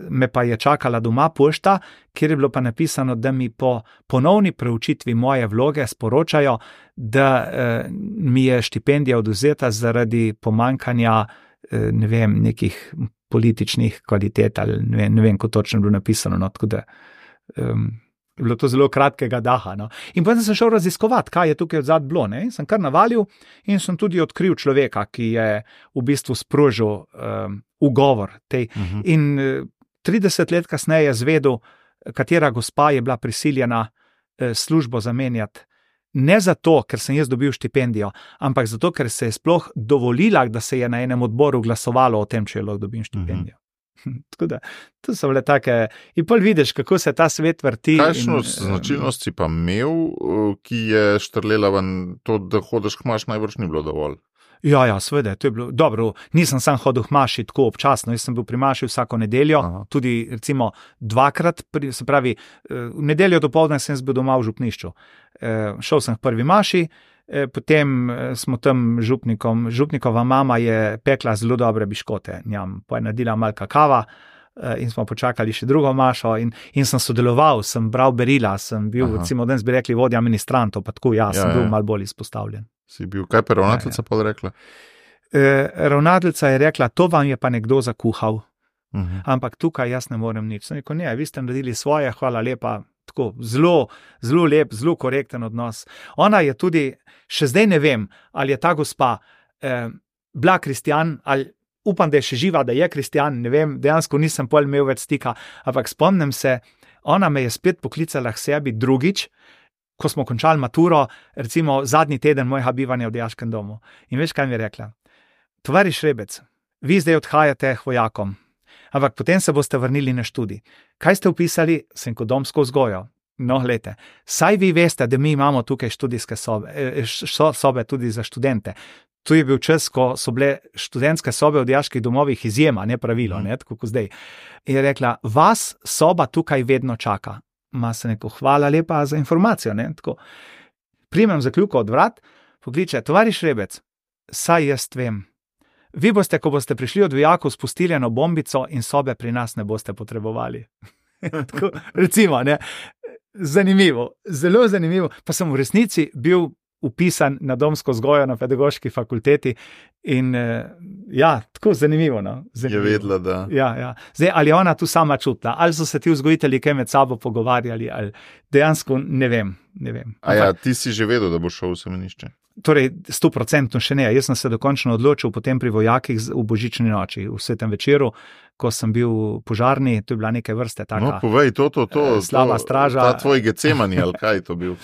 me pa je čakala doma pošta, kjer je bilo pa napisano, da mi po ponovni preučitvi moje vloge sporočajo, da eh, mi je štipendija odvzeta zaradi pomankanja, eh, ne vem, nekih političnih kvalitet, ali ne vem, ne vem, ko točno je bilo napisano, no, tako da Um, bilo to zelo kratkega daha. No. In potem sem šel raziskovati, kaj je tukaj odzad bilo. Ne. In sem kar navalil in sem tudi odkril človeka, ki je v bistvu sprožil um, ugovor tej. Uh-huh. In uh, trideset let kasneje zvedel, katera gospa je bila prisiljena uh, službo zamenjati. Ne zato, ker sem jaz dobil štipendijo, ampak zato, ker se je sploh dovolila, da se je na enem odboru glasovalo o tem, če je lahko dobim štipendijo. Uh-huh. Tako da, to so bile take, in pol vidiš, kako se ta svet vrti. Kakšno in, značilnost si pa imel, ki je štrlela ven to, da hodeš k maš, najbrž ni bilo dovolj? Ja, ja, seveda, to je bilo dobro. Nisem sam hodil k maši tako občasno, jaz sem bil pri maši vsako nedeljo, Aha. tudi recimo dvakrat, se pravi, v nedeljo dopoldne sem bil doma v župnišču. Šel sem k prvi maši, potem smo tam župnikom, župnikova mama je pekla zelo dobre biškote, njam, pa je naredila malo kakava, in smo počakali še drugo mašo in, in sem sodeloval, sem bral berila, sem bil, Aha. recimo, danes bi rekli vodja ministrantov, pa tako jaz ja, sem bil ja. malo bolj izpostavljen. Si bil, kaj pa ravnateljica ja, ja. pa rekla? E, ravnateljica je rekla, to vam je pa nekdo zakuhal, uh-huh. ampak tukaj jaz ne morem nič. Sem rekel, ne, vi ste naredili svoje, hvala lepa, tako zelo, zelo lep, zelo korekten odnos. Ona je tudi, še zdaj ne vem, ali je ta gospa eh, bila kristjan, ali upam, da je še živa, da je kristjan, ne vem, dejansko nisem pol imel več stika, ampak spomnim se, ona me je spet poklicala k sebi drugič, ko smo končali maturo, recimo zadnji teden mojega bivanja v dijaškem domu. In veš, kaj mi je rekla? Tovariš Rebec, vi zdaj odhajate k vojakom, ampak potem se boste vrnili na študij. Kaj ste upisali? Sem kot domsko vzgojo. No, glejte, saj vi veste, da mi imamo tukaj študijske sobe, sobe tudi za študente. Tu je bil čas, ko so bile študentske sobe v dijaških domovih izjema, ne pravilo, ne, tako kot zdaj. Je rekla, vas soba tukaj vedno čaka. Ma se neko, hvala lepa za informacijo, ne, tako. Primem zakljuko od vrat, pokliče, tovariš Rebec, saj jaz vem. Vi boste, ko boste prišli od vojakov, spustili eno bombico in sobe pri nas ne boste potrebovali. Tako, recimo, ne, zanimivo, zelo zanimivo. Pa sem v resnici bil upisan na domsko vzgojo na pedagoški fakulteti in ja, tako zanimivo. No? zanimivo. Je vedela, da... Ja, ja. Zdaj, ali je ona tu sama čutila, ali so se ti vzgojitelji kaj med sabo pogovarjali, ali dejansko ne vem. Ne vem. A ja, ti si že vedel, da bo šel v semenišče? Torej, sto procentno še ne. Jaz sem se dokončno odločil potem pri vojakih v božični noči, v svetem večeru, ko sem bil požarni, to je bila neke vrste taka... No, povej, to, to, to, slaba straža. Ta tvoj Getsemani, ali kaj je to bil?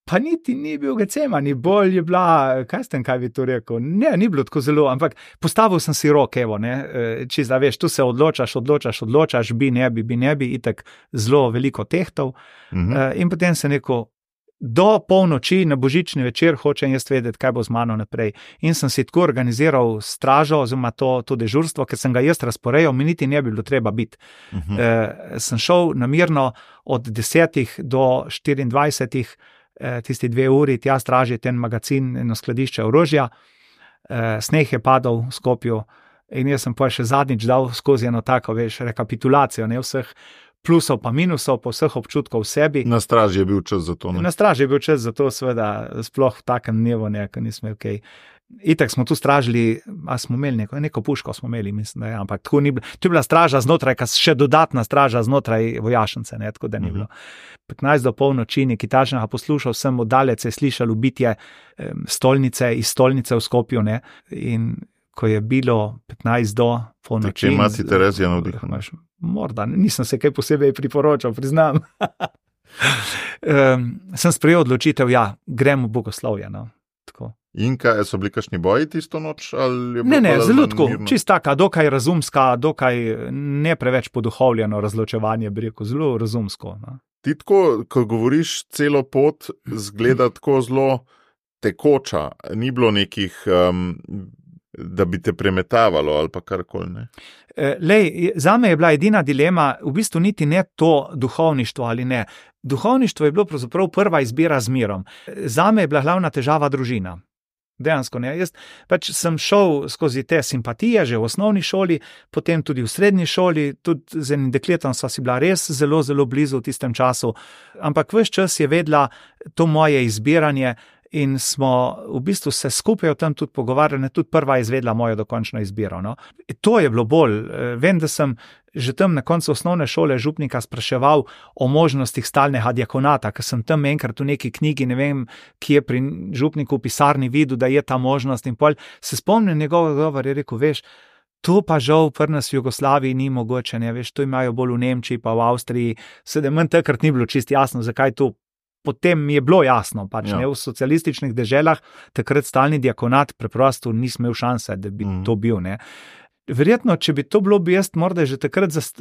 Pa niti ni bil Getsemani, bolj je bila, kaj ste, kaj bi to rekel, ne, ni bilo tako zelo, ampak postavil sem si rok, evo, ne, če da veš, tu se odločaš, odločaš, odločaš, bi ne bi, bi ne bi, itak zelo veliko tehtov, uh-huh. in potem se neko, do polnoči na božični večer hočem jaz vedeti, kaj bo z mano naprej. In sem si tako organiziral stražo, oziroma to, to dežurstvo, ker sem ga jaz razporejal, mi niti ne bi bilo treba biti. Uh-huh. E, sem šel namirno od desetih do štiriindvajsetih, tisti dve uri, tja straži ten magazin, eno skladišče orožja, sneh je padal v Skopju in jaz sem pa še zadnjič dal skozi eno tako, veš, rekapitulacijo, ne vseh plusov pa minusov, pa vseh občutkov v sebi. Na straži je bil čas za to, ne? Na straži je bil čas za to, seveda, sploh v takem dnevu, ne, ko nismo okej. Okay. Itak smo tu stražili, a smo imeli neko, neko puško smo imeli, mislim, da je, ampak tako ni bilo. Tu je bila straža znotraj, kas še dodatna straža znotraj vojašnice, ne, tako da ni bilo. petnajst do polnoči, neki tačnega poslušal sem, oddalec je slišal ubitje stolnice, iz stolnice v Skopju, ne, in ko je bilo petnajst do polnoči. Če imati Terezija navdihana? Morda, nisem se kaj posebej priporočal, priznam. um, sem sprejel odločitev, ja, grem v bogoslovje, no, tako. In kaj, so bili kakšni boji tisto noč? Ali je ne, ne, zelo tako, čist taka, dokaj razumska, dokaj ne preveč poduhovljeno razločevanje, bi rekel, zelo razumsko. No. Ti tako, ko govoriš, celo pot zgleda tako zelo tekoča, ni bilo nekih, um, da bi te premetavalo ali pa karkoli, ne? Lej, zame je bila edina dilema, v bistvu niti ne to duhovništvo ali ne. Duhovništvo je bilo pravzaprav prva izbira z mirom. Zame je bila glavna težava družina. Dejansko ne. Jaz pač sem šel skozi te simpatije že v osnovni šoli, potem tudi v srednji šoli, tudi z enim dekletom sva si bila res zelo, zelo blizu v tistem času, ampak ves čas je vedela to moje izbiranje in smo v bistvu se skupaj o tem tudi pogovarjali, tudi prva izvedla mojo dokončno izbiro. No. To je bilo bolj. Vem, da sem že tam na koncu osnovne šole župnika spraševal o možnostih stalnega diakonata, ker sem tam enkrat v neki knjigi, ne vem, ki je pri župniku v pisarni videl, da je ta možnost in pol se spomnim njegovega govora, je rekel, veš, to pa žal pri nas v Jugoslaviji ni mogoče, ne, veš, to imajo bolj v Nemčiji pa v Avstriji, sedaj manj takrat ni bilo čisto jasno, zakaj to. Potem mi je bilo jasno, pač ja. Ne, v socialističnih deželah takrat stalni diakonat preprosto nisem imel šanse, da bi mm. to bil, ne. Verjetno, če bi to bilo, bi jaz morda že takrat, zast...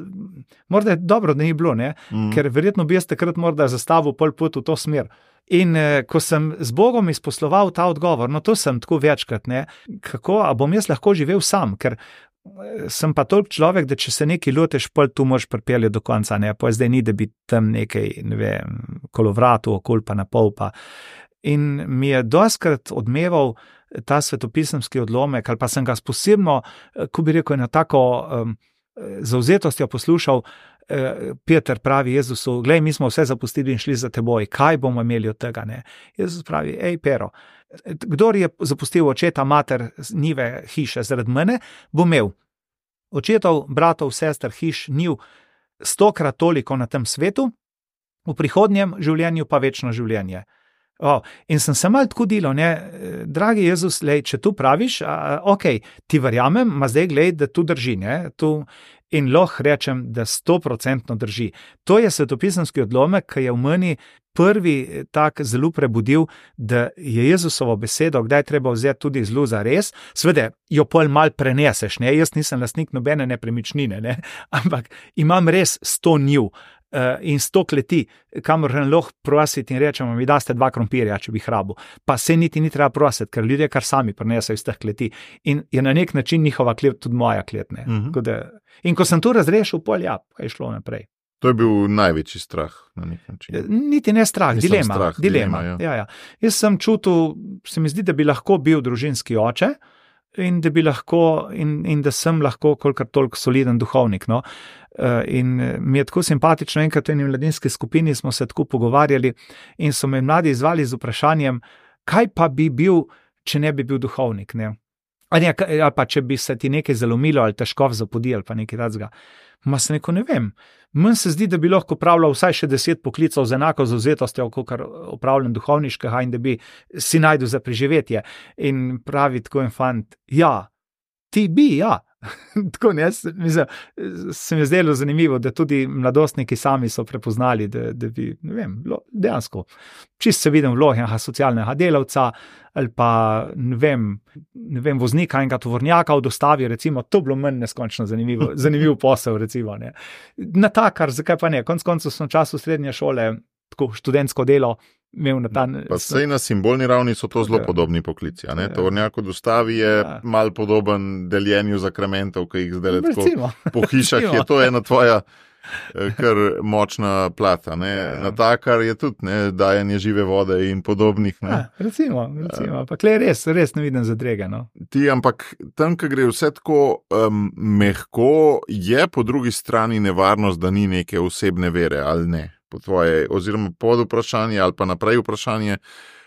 morda je dobro, da ni bilo, ne, mm. ker verjetno bi jaz takrat morda zastavil pol pot v to smer. In eh, ko sem z Bogom izposloval ta odgovor, no to sem tako večkrat, ne, kako, a bom jaz lahko živel sam, ker sem pa toliko človek, da če se nekaj loteš, pol tu moraš pripeljati do konca, ne, pa zdaj ni, da bi tam nekaj, ne vem, kolovratu, okol pa na pol pa. In mi je doskrat odmeval ta svetopisemski odlomek, ali pa sem ga posebno, ko bi rekel, eno tako um, zavzetostjo poslušal, Peter pravi Jezusu, glej, mi smo vse zapustili in šli za teboj, kaj bomo imeli od tega, ne? Jezus pravi, ej, Pero, kdor je zapustil očeta, mater, njive, hiše zaradi mene, bo imel očetov, bratov, sester, hiš, njiv stokrat toliko na tem svetu, v prihodnjem življenju pa večno življenje. Oh, in sem se malo tako dilo, ne, dragi Jezus, lej, če tu praviš, a, ok, ti verjamem, ma zdaj glej, da tu drži, ne, tu, in lahko rečem, da stoprocentno drži. To je svetopisemski odlomek, ki je v meni prvi tak zelo prebudil, da je Jezusovo besedo, kdaj treba vzeti tudi zelo za res, seveda jo pol mal preneseš, ne, jaz nisem lastnik nobene nepremičnine, ne, ampak imam res sto njiv, in sto kleti, kamor lahko prositi in rečemo, mi daste dva krompirja, če bi hrabil. Pa se niti ni treba prositi, ker ljudje kar sami prinesajo iz teh kleti. In je na nek način njihova klet tudi moja klet. Mm-hmm. Da, in ko sem to razrešil, pol ja, kaj je šlo naprej. To je bil največji strah na nek način. Niti ne strah, Mislim, dilema. strah, dilema. dilema ja. Ja, ja. Jaz sem čutil, se mi zdi, da bi lahko bil družinski oče, in da bi lahko, in, in da sem lahko kolikor toliko soliden duhovnik, no. In mi je tako simpatično, enkrat v eni mladinski skupini smo se tako pogovarjali in so me mladi izvali z vprašanjem, kaj pa bi bil, če ne bi bil duhovnik, ne. Ali, ali pa če bi se ti nekaj zalomilo ali težko zapodi ali pa nekaj takega. Ma se neko ne vem. Meni se zdi, da bi lahko opravljal vsaj še deset poklicov z enako zavzetostjo, kakor opravljam duhovniškega in da bi si najdel za preživetje. In pravi tako en fant, ja, ti bi, ja. Tako ne, mislim, se mi je zdelo zanimivo, da tudi mladostniki sami so prepoznali, da, da bi, ne vem, dejansko, čisto se vidim vlogi enega socialnega delavca ali pa, ne vem, ne vem, voznika enega tovornjaka v dostavi, recimo, to bilo manj neskončno zanimivo, zanimiv posel, recimo, ne. Na takar, zakaj pa ne, konc koncev sem v času srednje šole, tako študentsko delo, imel na ta... Pa sej na simbolni ravni so to zelo podobni poklici, a ne? Tovornjak v dostavi je ja. Mal podoben deljenju zakramentov, ki jih zdaj tako po hišah je to ena tvoja kar močna plata, ne? Ja. Na takar je tudi, ne, dajanje žive vode in podobnih, ne? Ja, recimo, recimo, pa klej res, res ne vidim zadrege, no. Ti, ampak tam, ko gre vse tako um, mehko, je po drugi strani nevarnost, da ni neke osebne vere, ali ne? Po tvoje, oziroma pod vprašanje ali pa naprej vprašanje,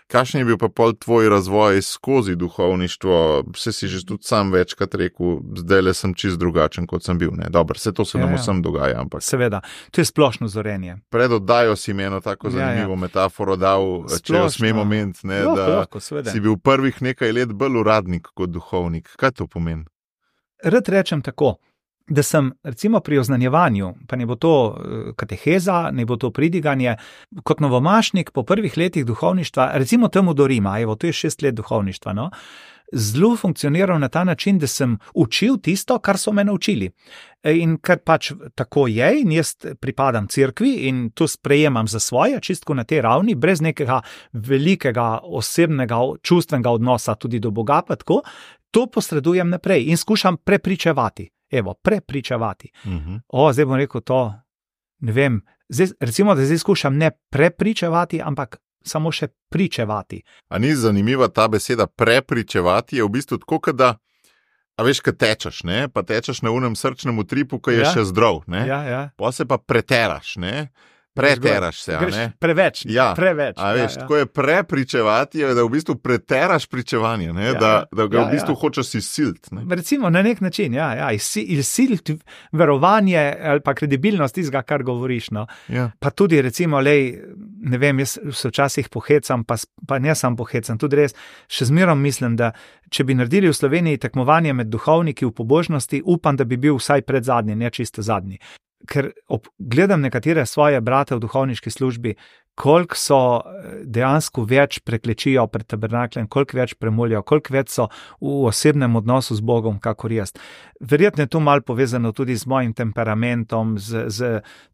kakšen je bil pa pol tvoj razvoj skozi duhovništvo, vse si že tudi sam večkrat rekel, zdaj le sem čist drugačen, kot sem bil, ne, dobro, vse to se nam ja, vsem dogaja, ampak. Seveda, to je splošno zorenje. Pred oddajo si mi eno tako zanimivo ja, ja. metaforo dal, splošno. Če jo smem omeniti, ne, lahko, da lahko, si bil prvih nekaj let bolj uradnik kot duhovnik. Kaj to pomeni? Rad rečem tako, da sem recimo pri oznanjevanju, pa ne bo to kateheza, ne bo to pridiganje, kot novomašnik po prvih letih duhovništva, recimo temu do Rima, evo, to je šest let duhovništva, no, zelo funkcioniral na ta način, da sem učil tisto, kar so me naučili. In ker pač tako je, in jaz pripadam cerkvi in to sprejemam za svoje, čistko na tej ravni, brez nekega velikega osebnega, čustvenega odnosa tudi do Boga, pa tako, to posredujem naprej in skušam prepričevati. Evo, prepričevati. Uh-huh. O, zdaj bom rekel to, ne vem, zdaj, recimo, da zdaj skušam ne prepričevati, ampak samo še pričevati. A ni zanimiva ta beseda prepričevati, je v bistvu tako, da, a veš, kad tečeš, ne, pa tečeš na unem srčnem utripu, ko je ja. Še zdrav, ne, ja, ja. Pa se pa preteraš, ne, preteraš se, a ne? Preveč, ja. preveč. A veš, ja, ja. tako je prepričevati, da v bistvu preteraš pričevanje, ne? Ja, da, da ga ja, v bistvu ja. Hočeš izsiliti. Recimo na nek način, ja, ja. izsiliti verovanje ali pa kredibilnost tistega, kar govoriš. No. Ja. Pa tudi recimo, lej, ne vem, jaz se včasih pohecam, pa, pa ne sam pohecam, tudi res, še zmerom mislim, da če bi naredili v Sloveniji tekmovanje med duhovniki v pobožnosti, upam, da bi bil vsaj pred zadnji, ne čisto zadnji. Ker ob, gledam nekatere svoje brate v duhovniški službi, koliko so dejansko več preklečijo pred tabernakljem, koliko več premolijo, koliko več so v osebnem odnosu z Bogom, kakor jaz. Verjetno je to malo povezano tudi z mojim temperamentom, z, z,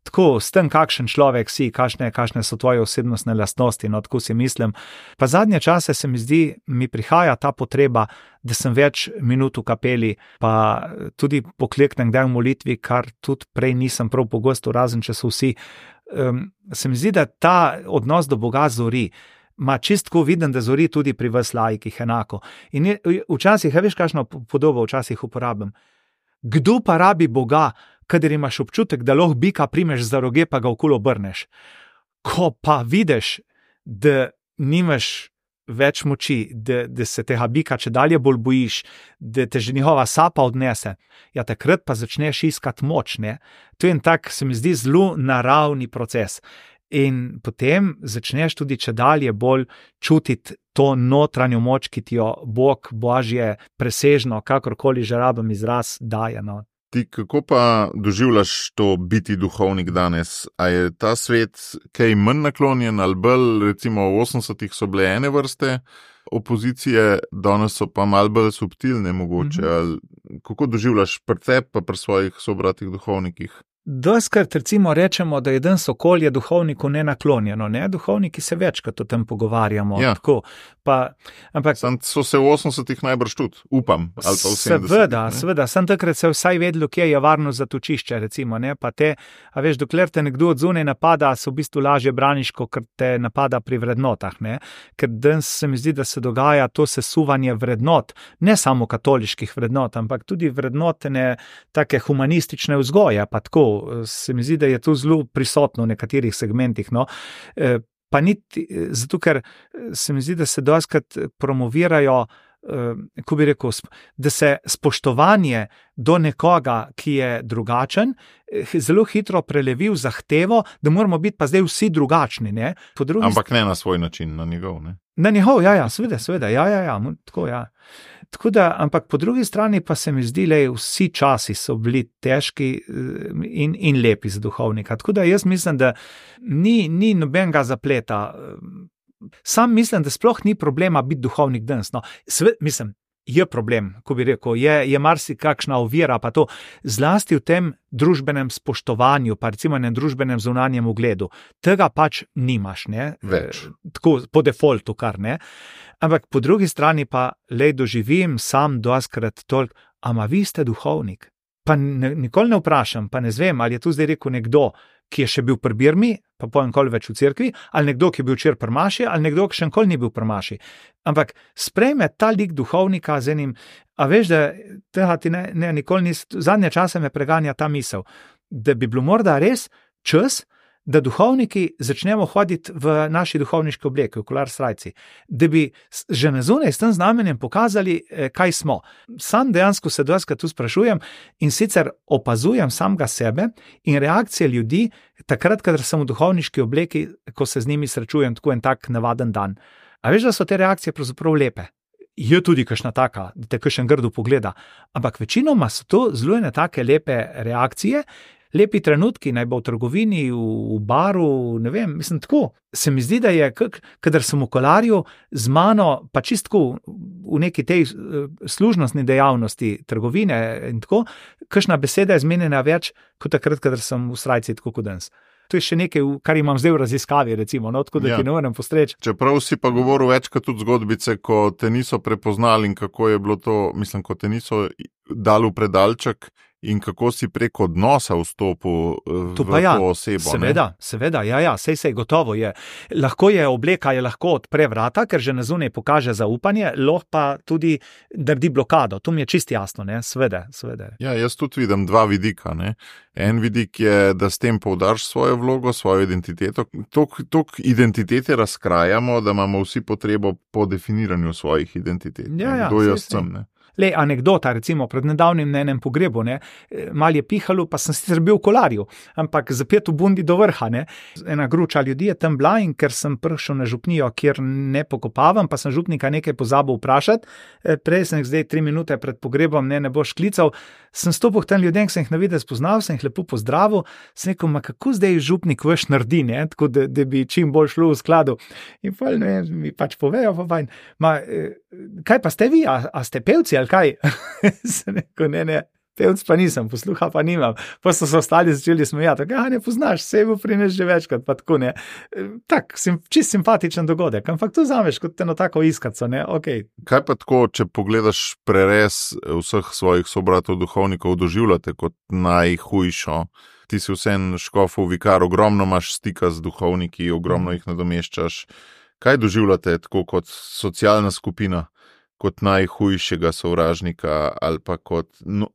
tako, s tem, kakšen človek si, kakšne, kakšne so tvoje osebnostne lastnosti, no, tako si mislim. Pa zadnje čase se mi zdi, mi prihaja ta potreba, da sem več minut v kapeli, pa tudi pokleknem kdaj v molitvi, kar tudi prej nisem prav pogosto, razen če so vsi. Um, se mi zdi, da ta odnos do Boga zori. Ma čistko vidim, da zori tudi pri vas laikih enako. In je, včasih, veš, kakšno podobo včasih uporabim. Kdo pa rabi Boga, kadar imaš občutek, da lahko bika primeš za roge, pa ga okolo obrneš? Ko pa vidiš, da nimaš več moči, da, da se tega bika če dalje bolj bojiš, da te že njihova sapa odnese, ja, takrat pa začneš iskati moč, ne? To je en tak, se mi zdi, zelo naravni proces. In potem začneš tudi če dalje bolj čutiti to notranjo moč, ki ti jo Bog, Božje, presežno, kakorkoli že rabim izraz, daje. No. Ti kako pa doživljaš to biti duhovnik danes? A je ta svet kaj manj naklonjen ali bolj, recimo v osemdesetih so bile ene vrste opozicije, danes so pa malo bolj subtilne mogoče? Mm-hmm. Ali kako doživljaš pri tebi pa pri svojih sobratih duhovnikih? Doskrat recimo rečemo, da je danes okolje duhovniku nenaklonjeno, ne? Duhovniki se večkrat o tem pogovarjamo. Ja. Tako, pa, ampak, sam so se v osemdesetih najbrž tudi, upam. Ali pa v sedemdesetih, seveda, seveda, sem takrat se vsaj vedelo, kje je varno zatočišče, recimo, ne? Pa te, a veš, dokler te nekdo od zunaj napada, se v bistvu lažje braniš, kot te napada pri vrednotah, ne? Ker danes se mi zdi, da se dogaja to sesuvanje vrednot, ne samo katoliških vrednot, ampak tudi vrednotene take humanistične vzgoje, pa tako, se mi zdi, da je to zelo prisotno v nekaterih segmentih, no. E, pa niti, zato ker se mi zdi, da se dostikrat promovirajo, e, ko bi rekel, da se spoštovanje do nekoga, ki je drugačen, zelo hitro prelevi v zahtevo, da moramo biti pa zdaj vsi drugačni, ne. Po drugi Ampak ne na svoj način, na njegov, ne. Na njegov, ja, ja, seveda, seveda, ja, ja, ja, tako, ja. Tako da, ampak po drugi strani pa se mi zdi, da vsi časi so bili težki in, in lepi za duhovnika. Tako da jaz mislim, da ni, ni nobenega zapleta. Sam mislim, da sploh ni problema biti duhovnik danes. No, sve, mislim, je problem, ko bi rekel, je, je marsikakšna ovira, pa to zlasti v tem družbenem spoštovanju, pa recimo enem družbenem zunanjem ugledu. Tega pač nimaš, ne? Več. Tako po defaultu kar, ne? Ampak po drugi strani pa lej doživim sam doskrat toliko, ama vi ste duhovnik? Pa ne, nikoli ne vprašam, pa ne zvem, ali je tu zdaj rekel nekdo, ki je še bil pri Birmi, pa pojem koli več v cerkvi, ali nekdo, ki je bil včeraj pri maši, ali nekdo, ki še nikoli ni bil pri maši. Ampak sprejme ta lik duhovnika z enim, a veš, da tega ti ne, ne nikoli nis, zadnje čase me preganja ta misel, da bi bilo morda res čas, da duhovniki začnemo hoditi v naši duhovniški obleki, v kolar srajci, da bi že na zunaj s tem znamenjem pokazali, kaj smo. Sam dejansko se dostikrat tu sprašujem in sicer opazujem samega sebe in reakcije ljudi, takrat, kadar sem v duhovniški obleki, ko se z njimi srečujem tako en tak navaden dan. A veš, da so te reakcije pravzaprav lepe? Je tudi kakšna taka, da te kakšen grdo pogleda, ampak večinoma so to zelo ene take lepe reakcije, lepi trenutki, naj bo v trgovini, v, v baru, ne vem, mislim tako. Se mi zdi, da je, kadar sem v kolarju z mano, pa čistko v neki tej služnostni dejavnosti trgovine in tako, kakšna beseda je zmenjena več, kot takrat, kadar sem v srajci tako kot danes. To je še nekaj, kar imam zdaj v raziskavi, recimo, no, tako da ja. Ti ne morem postreči. Čeprav si pa govoril večkrat tudi zgodbice, ko te niso prepoznali in kako je bilo to, mislim, ko te niso dali v predalček, in kako si prek odnosa vstopil v to, ja, to osebo. Seveda, ne? seveda, ja, ja, sej, sej, gotovo je. Lahko je obleka, je lahko odpre vrata, ker že na zunaj pokaže zaupanje, lahko pa tudi naredi blokado. To mi je čisto jasno, ne, seveda, seveda. Ja, jaz tudi vidim dva vidika, ne. En vidik je, da s tem poudarš svojo vlogo, svojo identiteto. Tok, tok identitete razkrajamo, da imamo vsi potrebo po definiranju svojih identitet. Ja, ja, kdo sej, jaz sem, ne. Le anekdota, recimo, pred nedavnim na enem pogrebu, ne, mal je pihalo, pa sem sicer bil v kolarju, ampak zapet v bundi do vrha, ne. Ena gruča ljudi je tam bila in ker sem prišel na župnijo, kjer ne pokopavam, pa sem župnika nekaj pozabil vprašati, prej sem zdaj tri minute pred pogrebom, ne, ne boš klical, sem stopil tam ljudem, ki sem jih na videz poznal, sem jih lepo pozdravil, sem rekel, ma kako zdaj župnik vaš naredi, ne, tako da, da bi čim bolj šlo v skladu. In pa, ne, mi pač povejo, pa fajn, ma, kaj pa ste vi, a, a ste pevci, ali kaj? Sem rekel, ne, ne, pevc pa nisem, posluha pa nimam. Pa so se ostali začeli smejati, ja, ne poznaš, se bo prines že večkrat, pa tako, ne. Tak, sim, čist simpatičen dogodek, ampak to zameš kot eno tako iskaco, ne, okej. Okay. Kaj pa tako, če pogledaš prerez vseh svojih sobratov duhovnikov, doživljate kot najhujšo? Ti si vsem škofov vikar, ogromno imaš stika z duhovniki, ogromno jih nadomeščaš. Kaj doživljate tako kot socialna skupina, kot najhujšega sovražnika ali pa kot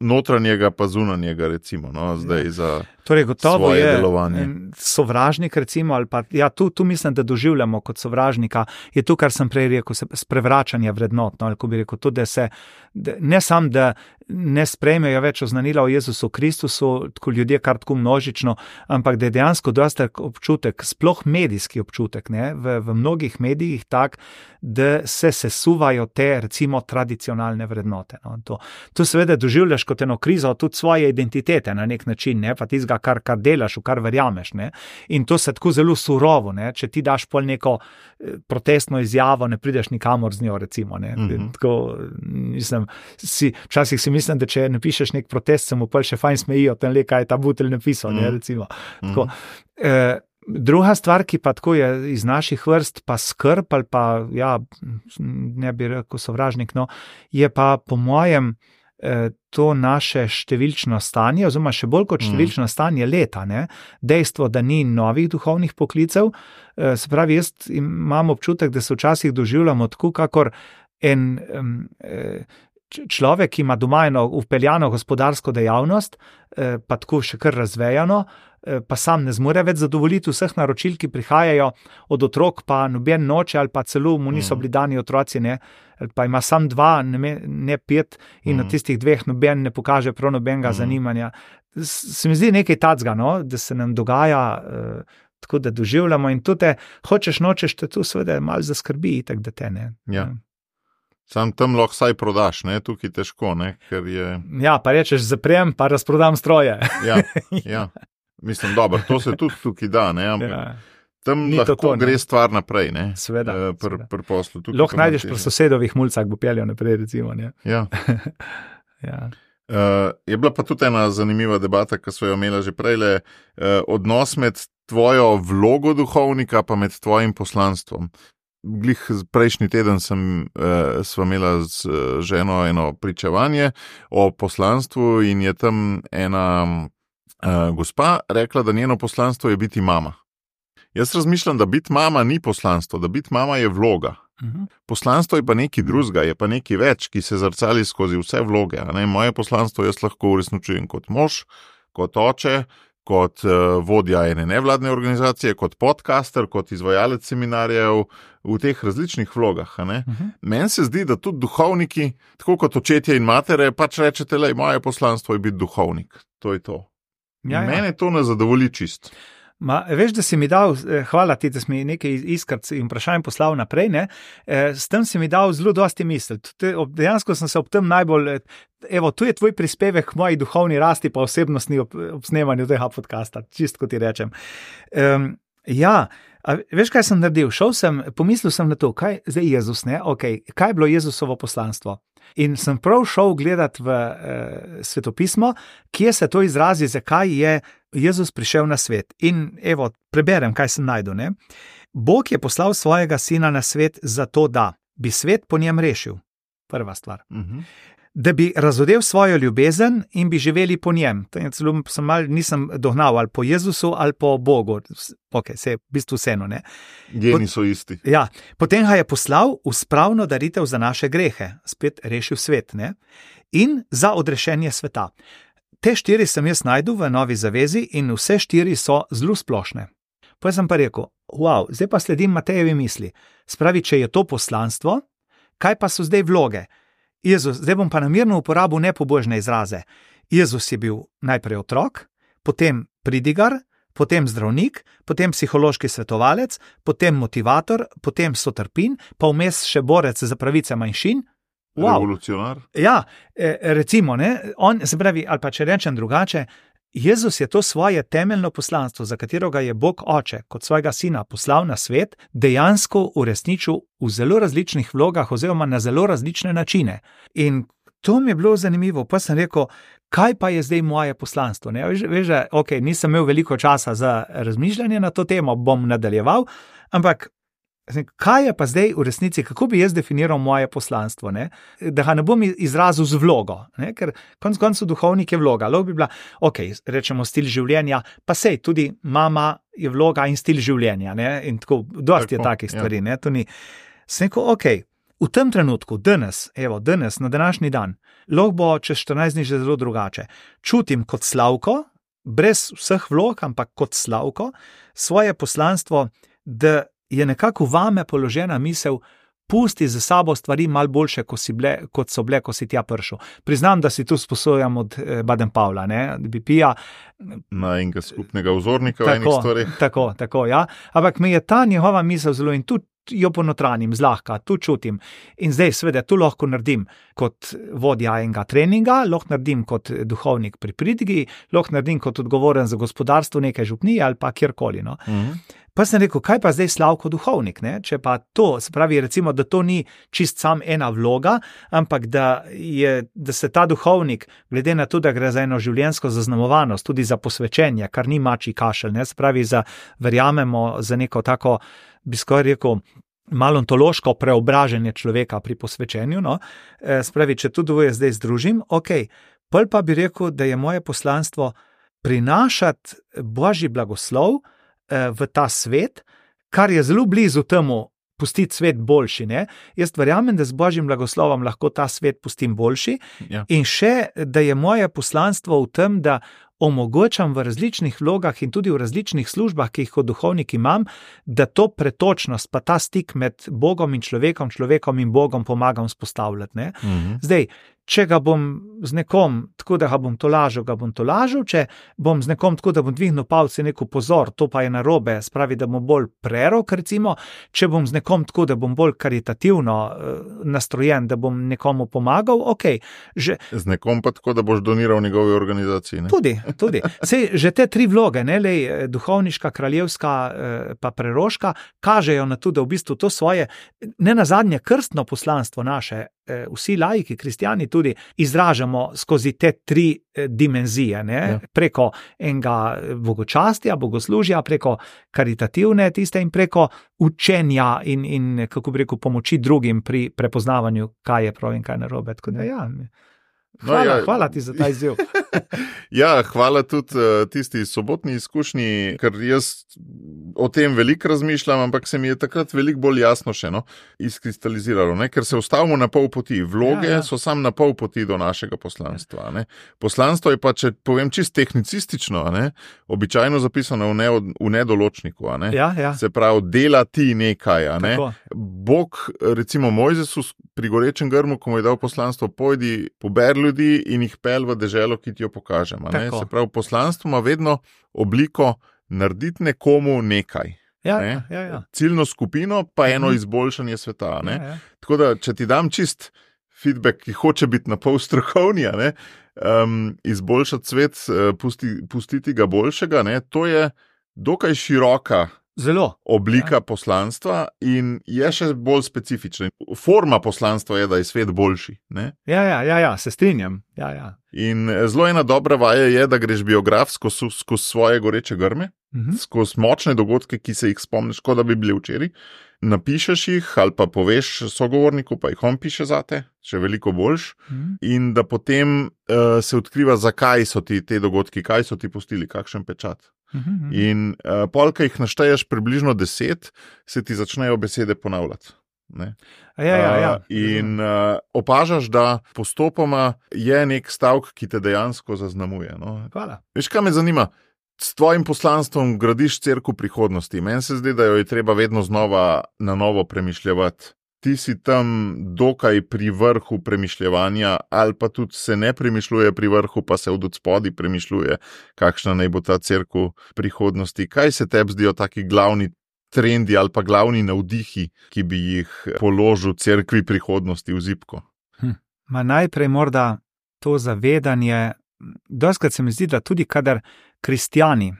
notranjega pa zunanjega, recimo, no, zdaj ja. za torej, gotovo svoje je delovanje. Sovražnik, recimo, ali pa, ja, tu, tu mislim, da doživljamo kot sovražnika, je to, kar sem prej rekel, sprevračanje vrednot, no, ali ko bi rekel, to, da se, da, ne sam, da ne sprejmejo več oznanila o Jezusu Kristusu, tako ljudje kar tako množično, ampak da je dejansko dosta občutek, sploh medijski občutek, ne, v, v mnogih medijih tak, da se sesuvajo te, recimo, tradicionalne vrednote. No, to, to seveda doživljaš kot eno krizo tudi svoje identitete na nek način, ne, pa tizga, kar, kar delaš, v kar verjameš. Ne, in to se tako zelo surovo, ne, če ti daš pol neko protestno izjavo, ne prideš nikamor z njo, recimo. Ne, mm-hmm. tako, mislim, si, včasih si mislim, da če napišeš nek protest, se mu pol še fajn smejijo, tem le, kaj je ta butelj napisal, mm-hmm. ne, recimo. Tako, eh, druga stvar, ki pa tako je iz naših vrst, pa skrb ali pa, ja, ne bi rekel sovražnik, no, je pa po mojem eh, to naše številčno stanje, oziroma še bolj kot številčno mm. stanje leta, ne, dejstvo, da ni novih duhovnih poklicev, eh, se pravi, jaz imam občutek, da se včasih doživljamo tako, kakor en eh, človek, ki ima doma eno vpeljano gospodarsko dejavnost, eh, pa tako še kar razvejano, pa sam ne zmore več zadovoljiti vseh naročil, ki prihajajo od otrok, pa noben noče, ali pa celo mu niso bili dani otroci, ne, pa ima sam dva, ne, ne pet, in mm. od tistih dveh noben ne pokaže prav nobenega mm. zanimanja. Se mi zdi nekaj tacga, no, da se nam dogaja, eh, tako da doživljamo, in tudi hočeš, nočeš, te tu seveda malo zaskrbi, tako da te ne. Ja. Sam tam lahko saj prodaš, ne, tukaj težko, ne, ker je... Ja, pa rečeš, zaprem, pa razprodam stroje. Ja, ja. Mislim, dobro, to se tudi tukaj da, ne, ampak ja. tam Ni lahko tako, gre stvar naprej, ne, Sveda, pr, pr poslu. Lahko najdeš pri sosedovih mulcah, bo peljal naprej, recimo, ne. Ja. ja. Uh, je bila pa tudi ena zanimiva debata, ki so jo imela že prejle, uh, odnos med tvojo vlogo duhovnika pa med tvojim poslanstvom. Glih prejšnji teden sem, uh, sva imela z uh, ženo eno pričevanje o poslanstvu in je tam ena Uh, gospa rekla, da njeno poslanstvo je biti mama. Jaz razmišljam, da biti mama ni poslanstvo, da biti mama je vloga. Uh-huh. Poslanstvo je pa nekaj drugega, je pa nekaj več, ki se zrcali skozi vse vloge. A ne? Moje poslanstvo jaz lahko uresničujem kot mož, kot oče, kot uh, vodja ene nevladne organizacije, kot podcaster, kot izvajalec seminarjev, v teh različnih vlogah. A ne? Uh-huh. Meni se zdi, da tudi duhovniki, tako kot očetje in matere, pač rečete, lej, moje poslanstvo je biti duhovnik. To je to. Ja, ja. Mene to ne zadovolji čist. Ma, veš, da si mi dal, hvala ti, da si mi nekaj iskrc in vprašanj poslal naprej, ne? S tem si mi dal zelo dosti misli. Dejansko sem se ob tem najbolj, evo, tu je tvoj prispevek k moji duhovni rasti pa osebnostni ob, ob snemanju tega podcasta, čist kot ti rečem. Um, ja, a veš, kaj sem naredil? Šel sem, pomislil sem na to, kaj zdaj Jezus, ne? Okay, kaj je bilo Jezusovo poslanstvo? In sem prav šel gledati v eh, svetopismo, kje se to izrazi, zakaj je Jezus prišel na svet. In evo, preberem, kaj sem najdel. Ne? Bog je poslal svojega sina na svet zato, da bi svet po njem rešil. Prva stvar. Uh-huh. Da bi razodel svojo ljubezen in bi živeli po njem. Celo sem mal, nisem dognal ali po Jezusu ali po Bogu. Ok, se je v bistvu vseeno, ne. Geni so isti. Ja, potem ga je poslal v spravno daritev za naše grehe, spet rešil svet, ne, in za odrešenje sveta. Te štiri sem jaz najdel v Novi zavezi in vse štiri so zelo splošne. Pa sem pa rekel, wow, zdaj pa sledim Matejevi misli. Spravi, če je to poslanstvo, kaj pa so zdaj vloge? Jezus, zdaj bom pa namerno uporabil nepobožne izraze. Jezus je bil najprej otrok, potem pridigar, potem zdravnik, potem psihološki svetovalec, potem motivator, potem sotrpin, pa vmes še borec za pravice manjšin. Wow. Revolucionar. Ja, recimo, ne, on, se pravi, ali pa če rečem drugače, Jezus je to svoje temeljno poslanstvo, za katerega je Bog oče, kot svojega sina poslal na svet, dejansko uresničil v zelo različnih vlogah oziroma na zelo različne načine. In to mi je bilo zanimivo, pa sem rekel, kaj pa je zdaj moje poslanstvo? Ne? Veš, veš, ok, nisem imel veliko časa za razmišljanje na to temo, bom nadaljeval, ampak kaj je pa zdaj v resnici, kako bi jaz definiral moje poslanstvo, ne? Da ga ne bom izrazil z vlogo, ne? Ker konec koncev duhovnik je vloga, lahko bi bila, ok, rečemo stil življenja, pa sej, tudi mama je vloga in stil življenja, ne? In tako, dosti tako, je takih stvari, ja. Ne, to ni, sem rekel, ok, v tem trenutku, danes, evo, danes, na današnji dan, lahko bo čez štirinajst dni že zelo drugače. Čutim kot Slavko, brez vseh vlog, ampak kot Slavko, svoje poslanstvo, da je nekako vame položena misel, pusti za sabo stvari malo boljše, kot, si bile, kot so bile, ko si tja prišel. Priznam, da si tu sposojam od eh, Baden-Powella, ne, B P-ja. Na enega skupnega vzornika tako, v enih stvareh. Tako, tako, ja. Ampak mi je ta njihova misel zelo in tudi jo ponotranim, zlahka, tu čutim. In zdaj seveda tu lahko naredim kot vodja enega treninga, lahko naredim kot duhovnik pri pridigi, lahko naredim kot odgovoren za gospodarstvo neke župnije ali pa kjerkoli. No. Mhm. Pa sem rekel, kaj pa zdaj Slavko duhovnik, ne? Če pa to, se pravi recimo, da to ni čist sam ena vloga, ampak da, je, da se ta duhovnik, glede na to, da gre za eno življenjsko zaznamovanost, tudi za posvečenje, kar ni mačji kašelj, ne? Se pravi, za, verjamemo za neko tako, bi skoraj rekel, malo ontološko preobraženje človeka pri posvečenju, no? E, se pravi, če to dvoje zdaj združim, ok, pol pa bi rekel, da je moje poslanstvo prinašati Božji blagoslov v ta svet, kar je zelo blizu temu pustiti svet boljši. Ne? Jaz verjamem, da z Božjim blagoslovom lahko ta svet pustim boljši, ja. In še, da je moje poslanstvo v tem, da omogočam v različnih vlogah in tudi v različnih službah, ki jih kot duhovnik imam, da to pretočnost, pa ta stik med Bogom in človekom, človekom in Bogom pomagam spostavljati. Ne? Mhm. Zdaj, če ga bom z nekom, tako da ga bom tolažil, ga bom tolažil, če bom z nekom tako, da bom dvignil palce neko pozor, to pa je narobe, spravi, da bom bolj prerok, recimo, če bom z nekom tako, da bom bolj karitativno uh, nastrojen, da bom nekomu pomagal, ok. Že, z nekom pa tako, da boš doniral njegovi organizaciji. Ne? Tudi, tudi. Sej, že te tri vloge, ne, lej, duhovniška, kraljevska, uh, pa preroška, kažejo na to, da v bistvu to svoje, ne nazadnje krstno poslanstvo naše, vsi laiki, kristijani tudi izražamo skozi te tri dimenzije, ne? Ja. Preko enega bogočastja, bogoslužja, preko karitativne tiste in preko učenja in, in kako bi rekel, pomoči drugim pri prepoznavanju, kaj je prav in kaj narobe. Tako da ja, hvala, no, ja. hvala ti za ta izziv. Ja, hvala tudi uh, tisti sobotni izkušnji, ker jaz o tem veliko razmišljam, ampak se mi je takrat veliko bolj jasno še no, izkristaliziralo, ne? Ker se ustavimo na pol poti. Vloge ja, ja. So sam na pol poti do našega poslanstva. Ne? Poslanstvo je pa, če povem čist tehnicistično, ne? Običajno zapisano v, ne, v nedoločniku. Ne? Ja, ja. Se pravi, dela ti nekaj. Ne? Bog, recimo Mojzesu pri gorečem grmu, ko mu je dal poslanstvo, pojdi, pober ljudi in jih pel v deželo, ki ti jo pokažem. Se pravi, poslanstvo ima vedno obliko narediti nekomu nekaj. Ja, ne? ja, ja. Ciljno skupino pa eno izboljšanje sveta. Ne? Ja, ja. Tako da, če ti dam čist feedback, ki hoče biti na pol strokovnja, ne? Um, izboljšati svet, pusti, pustiti ga boljšega, ne? To je dokaj široka Zelo. oblika ja. poslanstva in je še bolj specifična. Forma poslanstva je, da je svet boljši. Ne? Ja, ja, ja, ja, se strinjam. Ja, ja. In zelo ena dobra vaja je, da greš biografsko skozi svoje goreče grme, uh-huh. skozi močne dogodke, ki se jih spomniš, kot da bi bili včeraj. Napišeš jih ali pa poveš sogovorniku, pa jih on piše zate, še veliko boljš. Uh-huh. In da potem uh, se odkriva, zakaj so ti te dogodki, kaj so ti pustili, kakšen pečat. Uh-huh. In uh, polka jih našteješ približno deset, se ti začnejo besede ponavljati. Ne? Ja, ja, ja. Uh, in uh, opažaš, da postopoma je nek stavek, ki te dejansko zaznamuje. No? Hvala. Veš, kaj me zanima? S tvojim poslanstvom gradiš cerkev prihodnosti. Meni se zdi, da jo je treba vedno znova na novo premišljevati. Ti si tam dokaj pri vrhu premišljevanja, ali pa tudi se ne premišljuje pri vrhu, pa se od odspodi premišljuje, kakšna naj bo ta cerkev prihodnosti. Kaj se tebi zdijo taki glavni trendi ali pa glavni navdihi, ki bi jih položil cerkvi prihodnosti v zibko? Hm. Ma najprej morda to zavedanje, doskrat se mi zdi, da tudi kadar kristjani,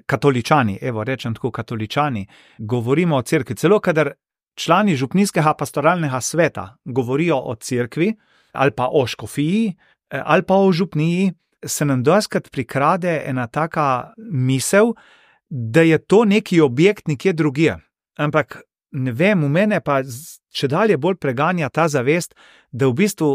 katoličani, evo rečem tako katoličani, govorimo o cerkvi, celo kadar člani župnijskega pastoralnega sveta govorijo o cerkvi ali pa o škofiji ali pa o župniji, se nam doskrat prikrade ena taka misel, da je to neki objekt nekje drugje. Ampak ne vem, v mene pa če dalje bolj preganja ta zavest, da v bistvu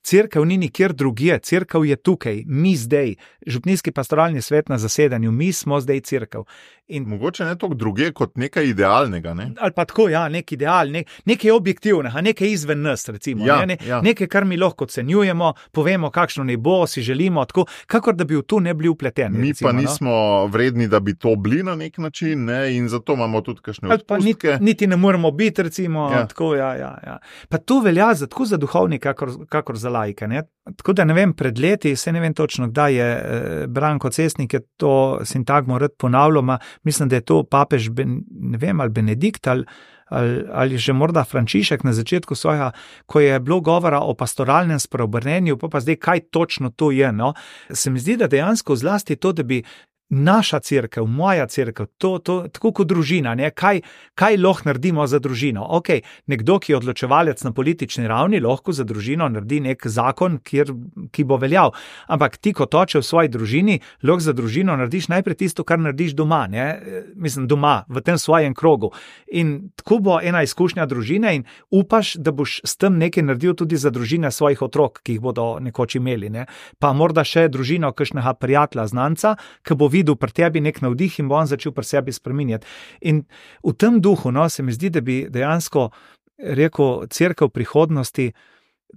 Cerkev ni nikjer drugje, cerkev je tukaj, mi zdaj, župnijski pastoralni svet na zasedanju, mi smo zdaj cerkev. In mogoče ne toliko druge kot nekaj idealnega, ne? Ali pa tako, ja, nek ideal, nek, nekaj objektivnega, nekaj izven nas, recimo. Ja, ne, ne, ja. Nekaj, kar mi lahko ocenjujemo, povemo, kakšno ne bo, si želimo, tako, kakor da bi v to ne bili vpleteni. Mi recimo, pa nismo no? vredni, da bi to bili na nek način, ne? In zato imamo tudi kakšne odpustke. Niti, niti ne moramo biti, recimo, ja. tako, ja, ja, ja. Pa to velja za, tako za duhovnike, kakor, kakor za laike, ne? Tako da ne vem, pred leti, se ne vem točno, kdaj je eh, Branko Cesnik je to sintagmo rad ponavljal, ma mislim, da je to papež, ben, ne vem, ali Benedikt ali, ali, ali že morda Frančišek na začetku svojega, ko je bilo govora o pastoralnem spreobrnenju, pa pa zdaj, kaj točno to je, no? Se mi zdi, da dejansko zlasti to, da bi naša cerkev, moja cerkev, to, to, tako kot družina, ne? Kaj, kaj lahko naredimo za družino? Ok, nekdo, ki je odločevalec na politični ravni, lahko za družino naredi nek zakon, kjer, ki bo veljal. Ampak ti, kot oče v svoji družini, lahko za družino narediš najprej tisto, kar narediš doma, ne? Mislim, doma, v tem svojem krogu. In tako bo ena izkušnja družine in upaš, da boš s tem nekaj naredil tudi za družine svojih otrok, ki jih bodo nekoč imeli, ne? Pa morda še družino kakšnega prijatelja, znanca, ki bo videl pri tebi nek navdih in bo on začel pri sebi spreminjati. In v tem duhu, no, se mi zdi, da bi dejansko rekel cerkev prihodnosti,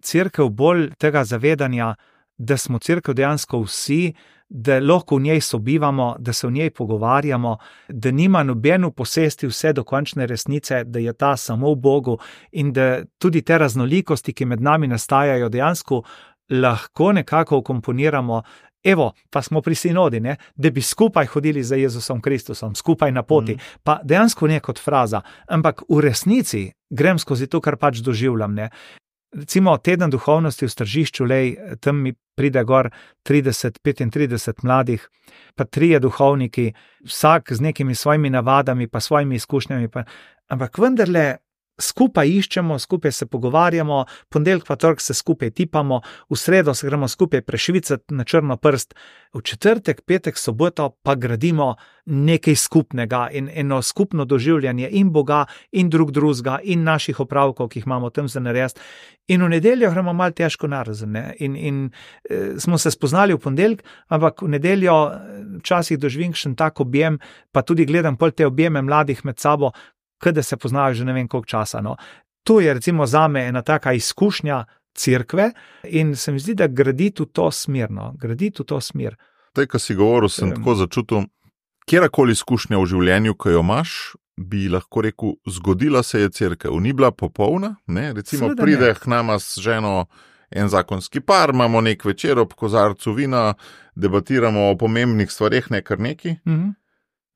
cerkev bolj tega zavedanja, da smo cerkev dejansko vsi, da lahko v njej sobivamo, da se v njej pogovarjamo, da nima nobeno posesti vse do končne resnice, da je ta samo v Bogu in da tudi te raznolikosti, ki med nami nastajajo, dejansko lahko nekako ukomponiramo. Evo, pa smo pri sinodi, ne? Da bi skupaj hodili za Jezusom Kristusom, skupaj na poti. Mm. Pa dejansko ne kot fraza, ampak v resnici grem skozi to, kar pač doživljam. Ne? Recimo teden duhovnosti v Stržišču, lej, tam mi pride gor trideset, petintrideset mladih, pa trije duhovniki, vsak z nekimi svojimi navadami, pa svojimi izkušnjami, pa, ampak vendarle skupaj iščemo, skupaj se pogovarjamo, ponedeljek pa torek se skupaj tipamo, v sredo se gremo skupaj prešvicati na črno prst, v četrtek, petek, soboto pa gradimo nekaj skupnega in eno skupno doživljanje in Boga in drug drugega in naših opravkov, ki jih imamo tam za narediti. In v nedeljo gremo malo težko narazen, ne? In, in e, smo se spoznali v ponedeljek, ampak v nedeljo včasih doživim še tak objem, pa tudi gledam pol te objeme mladih med sabo, kada se poznajo že ne vem koliko časa. No. To je recimo zame ena taka izkušnja cerkve in se mi zdi, da graditi v to smer. No. Graditi v to smer. Tej, ko si govoril, sem um, tako začutil, kjerakoli izkušnja v življenju, ko jo imaš, bi lahko rekel, zgodila se je cerkev. Ni bila popolna, ne? Recimo Seveda pride ne. K nama s ženo en zakonski par, imamo nek večer ob kozarcu vina, debatiramo o pomembnih stvareh, ne kar neki. Mhm.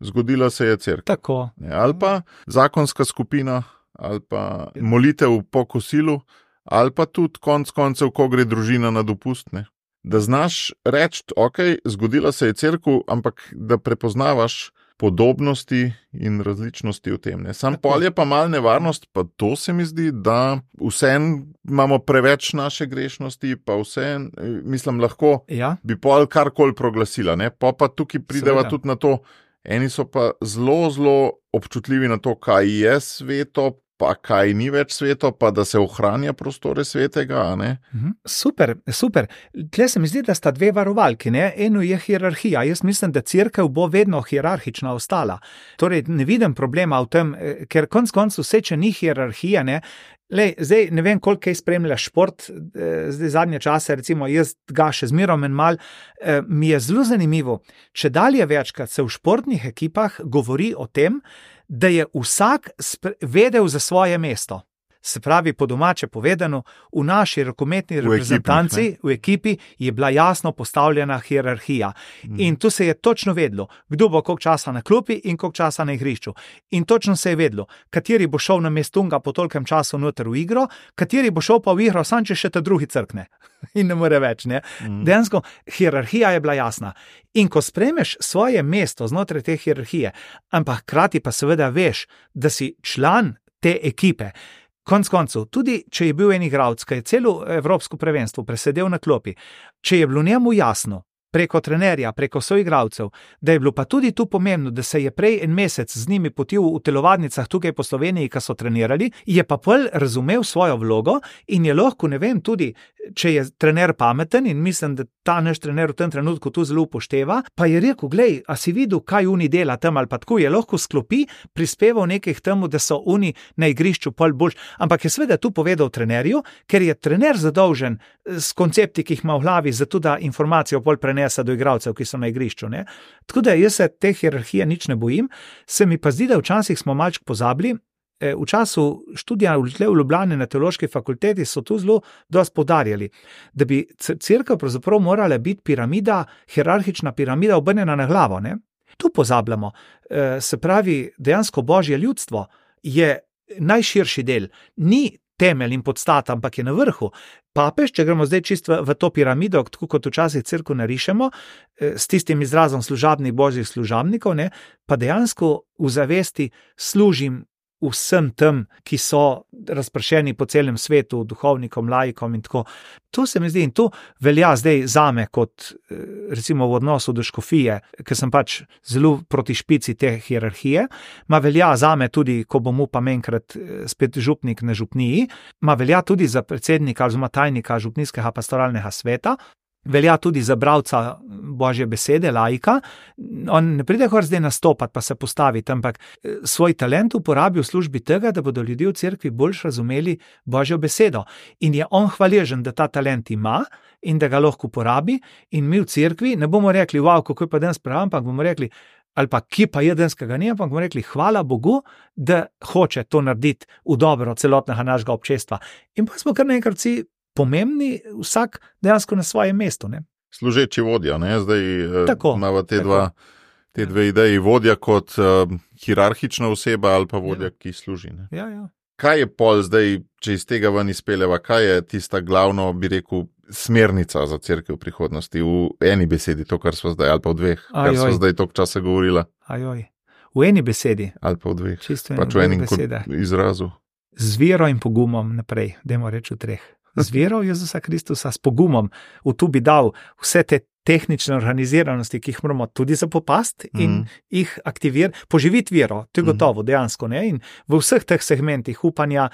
Zgodila se je cerkev. Tako. Ali pa zakonska skupina, ali pa molitev po kosilu, ali pa tudi konc koncev, ko gre družina na dopust. Ne? Da znaš reči, ok, zgodila se je cerkev, ampak da prepoznavaš podobnosti in različnosti v tem. Ne? Sam pol je pa mal nevarnost, pa to se mi zdi, da vsem imamo preveč naše grešnosti, pa vsem, mislim, lahko ja. Bi pol karkoli proglasila. Ne? Pa pa tukaj prideva Seveda. tudi na to. Eni so pa zelo, zelo občutljivi na to, kaj je sveto, pa kaj ni več sveto, pa da se ohranja prostore svetega. Ne? Super, super. Tle se mi zdi, da sta dve varovalki. Ne? Eno je hierarhija. Jaz mislim, da cerkev bo vedno hierarhična ostala. Torej, ne vidim problema v tem, ker konc koncu vse, če ni hierarhija, ne, Lej, zdaj ne vem, koliko kaj spremlja šport, zdaj zadnje čase, recimo jaz ga še zmerom en mal, mi je zelo zanimivo, če dalje večkrat se v športnih ekipah govori o tem, da je vsak vedel za svoje mesto. Se pravi, po domače povedano, v naši rokometni reprezentanci, v, ekipnih, v ekipi je bila jasno postavljena hierarhija. Mm. In tu se je točno vedlo, kdo bo koliko časa na klopi in koliko časa na igrišču. In točno se je vedlo, kateri bo šel na mestunga po tolkem času noter v igro, kateri bo šel pa v igro, sam če še ta drugi crkne. In ne more več, ne. Mm. Dejansko, hierarhija je bila jasna. In ko spremeš svoje mesto znotraj te hierarhije, ampak hkrati pa seveda veš, da si član te ekipe, konc koncev, tudi če je bil en igralec, ki je celo evropsko prvenstvo presedel na klopi, če je bilo njemu jasno, preko trenerja, preko soigralcev, da je bilo pa tudi tu pomembno, da se je prej en mesec z njimi potil v telovadnicah tukaj po Sloveniji, ki so trenirali, je pa pol razumel svojo vlogo in je lahko, ne vem, tudi, če je trener pameten in mislim, da ta naš trener v tem trenutku tu zelo upošteva, pa je rekel, glej, a si videl, kaj oni dela tam ali pa tako, je lahko sklopi, prispeval nekaj k temu, da so oni na igrišču pol boljši, ampak je seveda tu povedal trenerju, ker je trener zadolžen s koncepti, ki jih ima v glavi, zato da informacijo pol prenese do igralcev, ki so na igrišču, ne. Tako da jaz se te hierarhije nič ne bojim, se mi pa zdi, da včasih smo malček pozabili. V času študija v Ljubljani na teološki fakulteti so tu zelo dosti poudarjali, da bi cerkev pravzaprav morala biti piramida, hierarhična piramida obrnjena na glavo, ne. Tu pozabljamo, se pravi, dejansko Božje ljudstvo je najširši del, ni temelj in podstata, ampak je na vrhu. Papež, če gremo zdaj čisto v to piramido, tako kot včasih cerkev narišemo, s tistim izrazom služabnih božjih služabnikov, ne, pa dejansko v zavesti služim vsem tem, ki so razpršeni po celem svetu, duhovnikom, laikom in tako. To se mi zdi in to velja zdaj zame kot recimo v odnosu do škofije, ker sem pač zelo proti špici te hierarhije, ma velja zame tudi, ko bom upam enkrat spet župnik na župniji, ma velja tudi za predsednika oziroma tajnika župnijskega pastoralnega sveta, velja tudi za bralca Božje besede, laika. On ne pride kar zdaj nastopati, pa se postaviti, ampak svoj talent uporabi v službi tega, da bodo ljudje v cerkvi bolj razumeli Božjo besedo. In je on hvaležen, da ta talent ima in da ga lahko uporabi, in mi v cerkvi ne bomo rekli, wow, kako je pa danes prav, ampak bomo rekli, ali pa ki pa je danes, ki ga ni, ampak bomo rekli, hvala Bogu, da hoče to narediti v dobro celotnega našega občestva. In pa smo kar naenkrat vsi pomembni, vsak dejansko na svojem mestu, ne. Služeči vodja, ne, zdaj tako, imamo te, tako. dva, te dve ideji, vodja kot uh, hierarhična oseba ali pa vodja, ja. Ki služi. Ne. Ja, ja. Kaj je pol zdaj, če iz tega ven izpeljeva, kaj je tista glavno, bi rekel, smernica za cerkev v prihodnosti, v eni besedi, to, kar smo zdaj, ali pa v dveh, Ajoj. Kar smo zdaj toliko časa govorila. Ajoj. V eni besedi. Ali pa v dveh. Čisto pač v enem izrazu. Z vero in pogumom naprej, dajmo reči v treh. Z vero Jezusa Kristusa, s pogumom, v tu bi dal vse te tehnične organiziranosti, ki jih moramo tudi zapopasti in mm. jih aktivirati, poživiti vero, to je gotovo, mm. dejansko, ne, in v vseh teh segmentih upanja,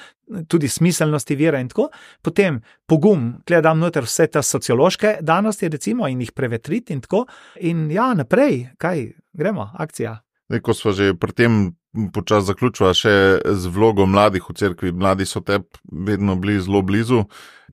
tudi smiselnosti vere in tako, potem pogum, gledam noter vse te sociološke danosti, recimo, in jih prevetriti in tako, in ja, naprej, kaj, gremo, akcija. Zdaj, ko smo že pri tem počas zaključila še z vlogo mladih v cerkvi, mladi so te vedno bili zelo blizu,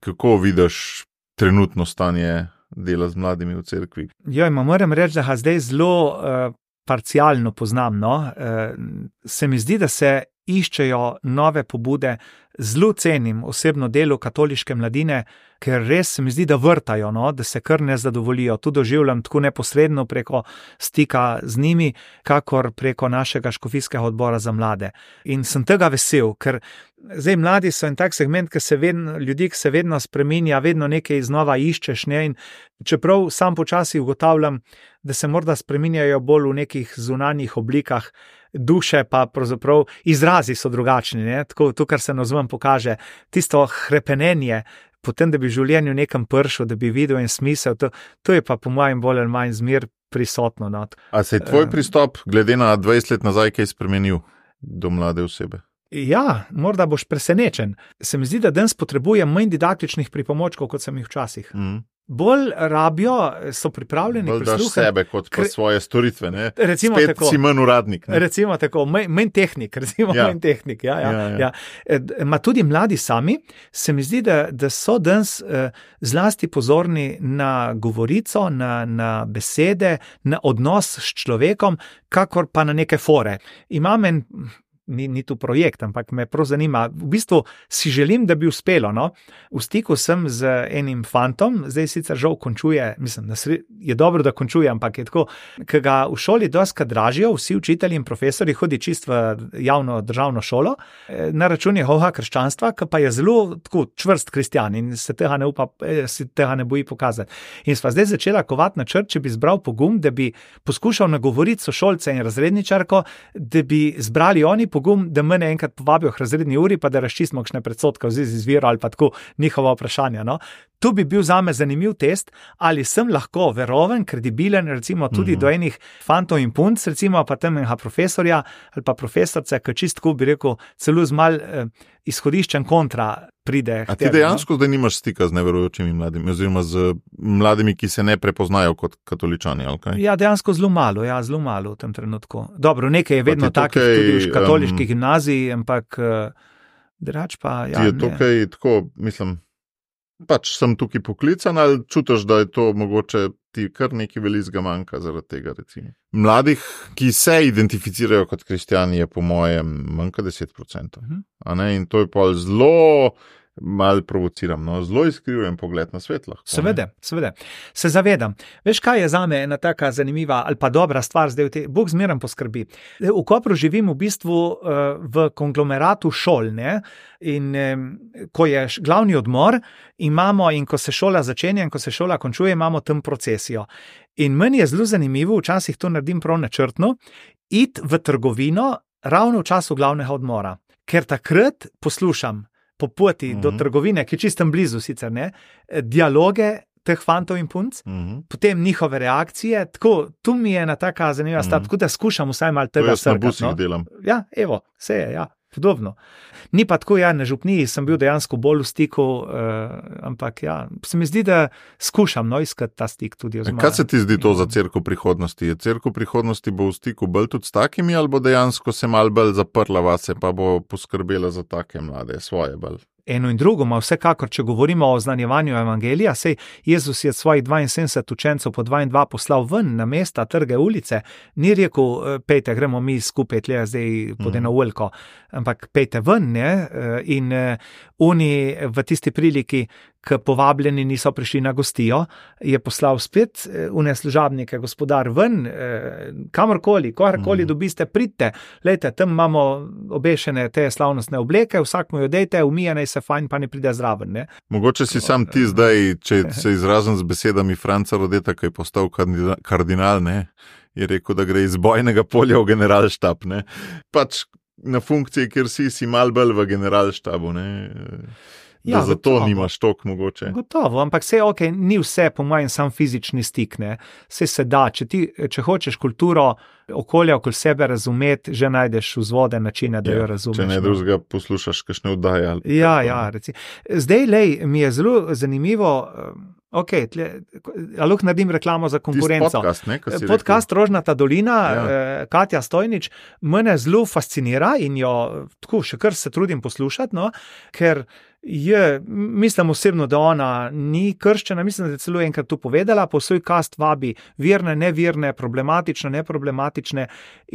kako vidiš trenutno stanje dela z mladimi v cerkvi? Jo, moram reči, da ga zdaj zelo uh, parcialno poznam, no. Uh, se mi zdi, da se iščejo nove pobude, zelo cenim osebno delo katoliške mladine, ker res se mi zdi, da vrtajo, no, da se kar ne zadovoljijo. Tu doživljam tako neposredno preko stika z njimi, kakor preko našega škofijskega odbora za mlade. In sem tega vesel, ker zdaj mladi so en tak segment, ki se vedno, ljudi, ki se vedno spreminja, vedno nekaj znova iščeš, ne, in čeprav sam počasi ugotavljam, da se morda spreminjajo bolj v nekih zunanjih oblikah, duše pa pravzaprav izrazi so drugačni, ne, tako to, kar se navzven pokaže, tisto hrepenenje, potem, da bi v življenju nekam pršel, da bi videl en smisel, to, to je pa po mojem bolj ali manj zmer prisotno. No. A se je tvoj pristop, glede na dvajset let nazaj, kaj spremenil do mlade osebe? Ja, morda boš presenečen. Se mi zdi, da danes potrebujem manj didaktičnih pripomočkov, kot sem jih včasih. Mm. Bolj rabijo, so pripravljeni prisluhati. Bolj daš sebe kot pa svoje storitve, ne? Recimo spet tako. Si manj uradnik. Ne? Recimo tako, manj tehnik, recimo ja. manj tehnik. Ja, ja, ja, ja. Ja. Ma tudi mladi sami, se mi zdi, da, da so danes eh, zlasti pozorni na govorico, na, na besede, na odnos s človekom, kakor pa na neke fore. Imam en... Ni, ni tu projekt, ampak me prav zanima. V bistvu si želim, da bi uspelo. No? V stiku sem z enim fantom, zdaj sicer žal končuje, mislim, da je dobro, da končuje, ampak je tako, ki ga v šoli doskrat dražijo, vsi učitelji in profesori hodi čist v javno državno šolo, na račun njegovega krščanstva, ki pa je zelo tako čvrst kristjan in se tega ne upa, se tega ne boji pokazati. In sva zdaj začela kovati načrt, če bi zbral pogum, da bi poskušal nagovoriti sošolce in razredničarko, da bi zbrali oni pogum, da mene enkrat povabijo k razredni uri, pa da razčistimo kakšne predsodke v zvezi z vero ali pa tako njihova vprašanja. No? tu bi bil zame zanimiv test, ali sem lahko veroven, kredibilen, recimo tudi mm-hmm. do enih fantov in punc, recimo pa tam enega profesorja ali pa profesorce, ki čistko bi rekel, celo z mal eh, izhodiščen kontra pride. A ti dejansko no? Zdaj nimaš stika z neverujočimi mladimi, oziroma z mladimi, ki se ne prepoznajo kot katoličani, ali kaj? Ja, dejansko zelo malo, ja, zelo malo v tem trenutku. Dobro, nekaj je vedno takih tukaj, tudi v katoliški um, gimnaziji, ampak drugač pa, ja, ti je tukaj ne. Tako, mislim, pač sem tukaj poklican, ali čutiš, da je to mogoče ti kar nekaj velikega manjka zaradi tega, recimo. Mladih, ki se identificirajo kot kristjani, je po mojem manjka deset procentov. Uh-huh. A ne? In to je pa zelo mal provociram, no, zelo izkrivljen pogled na svet lahko. Seveda, seveda. Se zavedam. Veš, kaj je zame ena taka zanimiva ali pa dobra stvar zdaj v te, Bog zmeram poskrbi. V Kopru živim v bistvu uh, v konglomeratu šol, ne? In um, ko je glavni odmor, imamo in ko se šola začenja in ko se šola končuje, imamo tam procesijo. In meni je zelo zanimivo, včasih to naredim prav načrtno, iti v trgovino ravno v času glavnega odmora, ker takrat poslušam po poti uh-huh. do trgovine, ki je čistem blizu sicer, ne, dialoge teh fantov in punc, uh-huh. potem njihove reakcije, tako, tu mi je ena taka zanimiva uh-huh. stvar, tako da skušam vsaj malo tega srkati. To jaz na busih delam. Ja, evo, vse je, ja, podobno. Ni pa tako, ja, na župniji sem bil dejansko bolj v stiku, uh, ampak ja, se mi zdi, da skušam, no, iskati ta stik tudi. Oziroma, kaj se ti zdi to za cerkev prihodnosti? Je cerkev prihodnosti bo v stiku bolj tudi s takimi, ali bo dejansko se malo bolj zaprla vase, pa bo poskrbela za take mlade, svoje bolj? Eno in drugo, ma vsekakor, če govorimo o znanjevanju evangelija, sej Jezus je svojih dvainsedemdeset učencev po dva in dva poslal ven na mesta, trge, ulice, ni rekel, pejte, gremo mi skupaj tle zdaj pod eno uljko, ampak pejte ven, ne, in oni v tisti priliki, k povabljeni niso prišli na gostijo, je poslal spet une služabnike, gospodar ven, kamorkoli, kogarkoli mm. dobiste, pridite, lejte, tam imamo obešene te slavnostne obleke, vsak mu jo dejte, umije naj se fajn, pa ne pride zraven. Ne? Mogoče si sam ti zdaj, če se izrazim z besedami Franca Rodeta, ki je postal kardinal, ne, je rekel, da gre iz bojnega polja v generalštab, ne, pač na funkciji, kjer si, si mal bolj v generalštabu, ne, da ja, zato gotovo. Nimaš tok mogoče. Gotovo, ampak vse ok, ni vse po mojem sam fizični stik, ne. Vse se da, če, ti, če hočeš kulturo okolja okoli sebe razumeti, že najdeš vzvode načine, da ja, jo razumeš. Če ne drugega poslušaš kakšne oddaje. Ali ja, ja, reci. Zdaj, lej, mi je zelo zanimivo, ok, tle, a lahko naredim reklamo za konkurenco. Podcast, ne, podcast Rožnata dolina, ja. Katja Stojnič, mene zelo fascinira in jo tako še kar se trudim poslušati, no, ker je, mislim osebno, da ona ni krščena, mislim, da je celo enkrat tu povedala, po svoj kast vabi virne, nevirne, problematične, neproblematične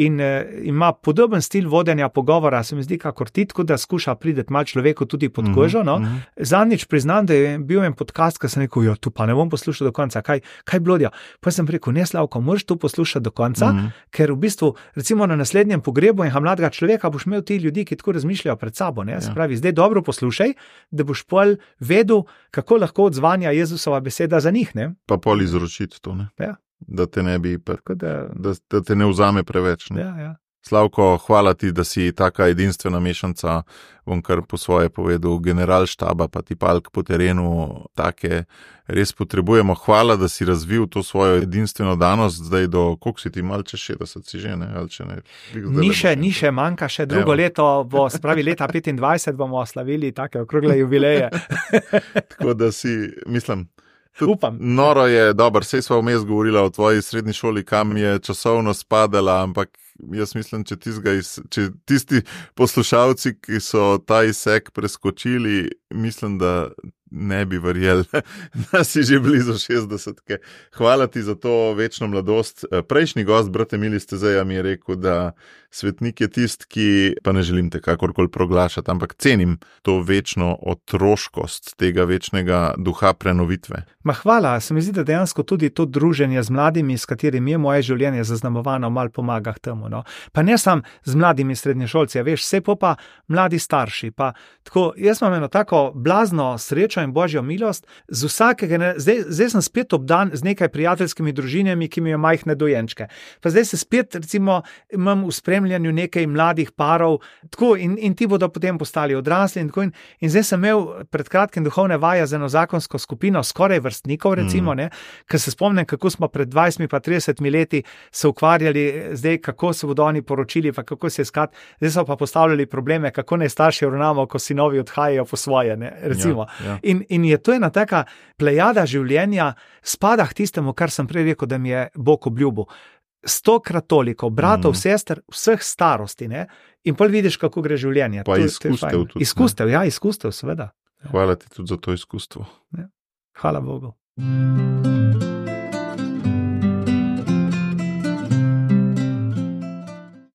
in eh, ima podoben stil vodenja pogovora, se mi zdi, kakor ti, tako da skuša prideti malo človeku tudi pod kožo, no. Mm-hmm. Zadnjič priznam, da je bil en podcast, ki sem rekel, jo, tu pa ne bom poslušal do konca, kaj, kaj blodja. Pa sem rekel, ne, Slavko, moraš tu poslušati do konca, mm-hmm. ker v bistvu, recimo na naslednjem pogrebu enega mladega človeka boš imel ti ljudi, ki tako razmišljajo pred sabo, ne, se pravi, zdaj dobro poslušaj, da boš pol vedel, kako lahko odzvanja Jezusova beseda za njih, ne? Pa pol izročiti to, ne? Ja. Da te ne bi, pa, da... Da, da te ne vzame preveč, ne? Ja, ja. Slavko, hvala ti, da si taka edinstvena mešanca, bom kar po svoje povedal, generalštaba, pa ti palk po terenu, take res potrebujemo. Hvala, da si razvil to svojo edinstveno danost, zdaj do, koliko si ti mal čez šestdeset si že, ne? Ali če ne? Ni še, ni še, manjka še drugo Evo. leto, bo spravi leta petindvajset bomo slavili take okrogle jubileje. Tako da si, mislim... Upam. Noro je, dober, sej sva vmes govorila o tvoji srednji šoli, kam je časovno spadala, ampak jaz mislim, če, iz, če tisti poslušalci, ki so ta izsek preskočili, mislim, da ne bi verjeli, da si že blizu šestdesetke. Hvala ti za to večno mladost. Prejšnji gost, brat Emili Stezeja, mi je rekel, da svetnik je tist, ki, pa ne želim te kakorkoli proglašati, ampak cenim to večno otroškost tega večnega duha prenovitve. Ma hvala, se mi zdi, da dejansko tudi to druženje z mladimi, s katerimi je moje življenje zaznamovano, malo pomaga k temu. No. Pa ne sam z mladimi srednješolci, a veš, vse pa mladi starši. Pa, tako, jaz imam eno tako blazno srečo in božjo milost, z vsakega, ne, zdaj, zdaj sem spet obdan z nekaj prijateljskimi družinami, ki mi jo majhne dojenčke. Pa zdaj se spet, recimo, imam v spremljanju nekaj mladih parov, tako, in, in ti bodo potem postali odrasli. In, tako, in, in zdaj sem imel pred kratkim duhovne vaje z eno zakonsko skupino, skoraj vrstnikov, recimo, mm. ker se spomnim, kako smo pred dvajsetimi pa tridesetimi leti se ukvarjali, zdaj kako se bodo oni poročili, pa kako se iskati, zdaj so pa postavljali probleme, kako naj starši ravnamo, ko sinovi odhajajo po svoje, ne, recimo. Ja, ja. In, in je to ena taka plejada življenja, spada k tistemu, kar sem prej rekel, da mi je Bog obljubil. Stokrat toliko, bratov, mm. sester, vseh starosti, ne, in pol vidiš, kako gre življenje. Pa to, izkustev tudi. Izkustev, ne? Ja, izkustev, seveda. Hvala ti tudi za to izkustvo. Ja. Hvala Bogu.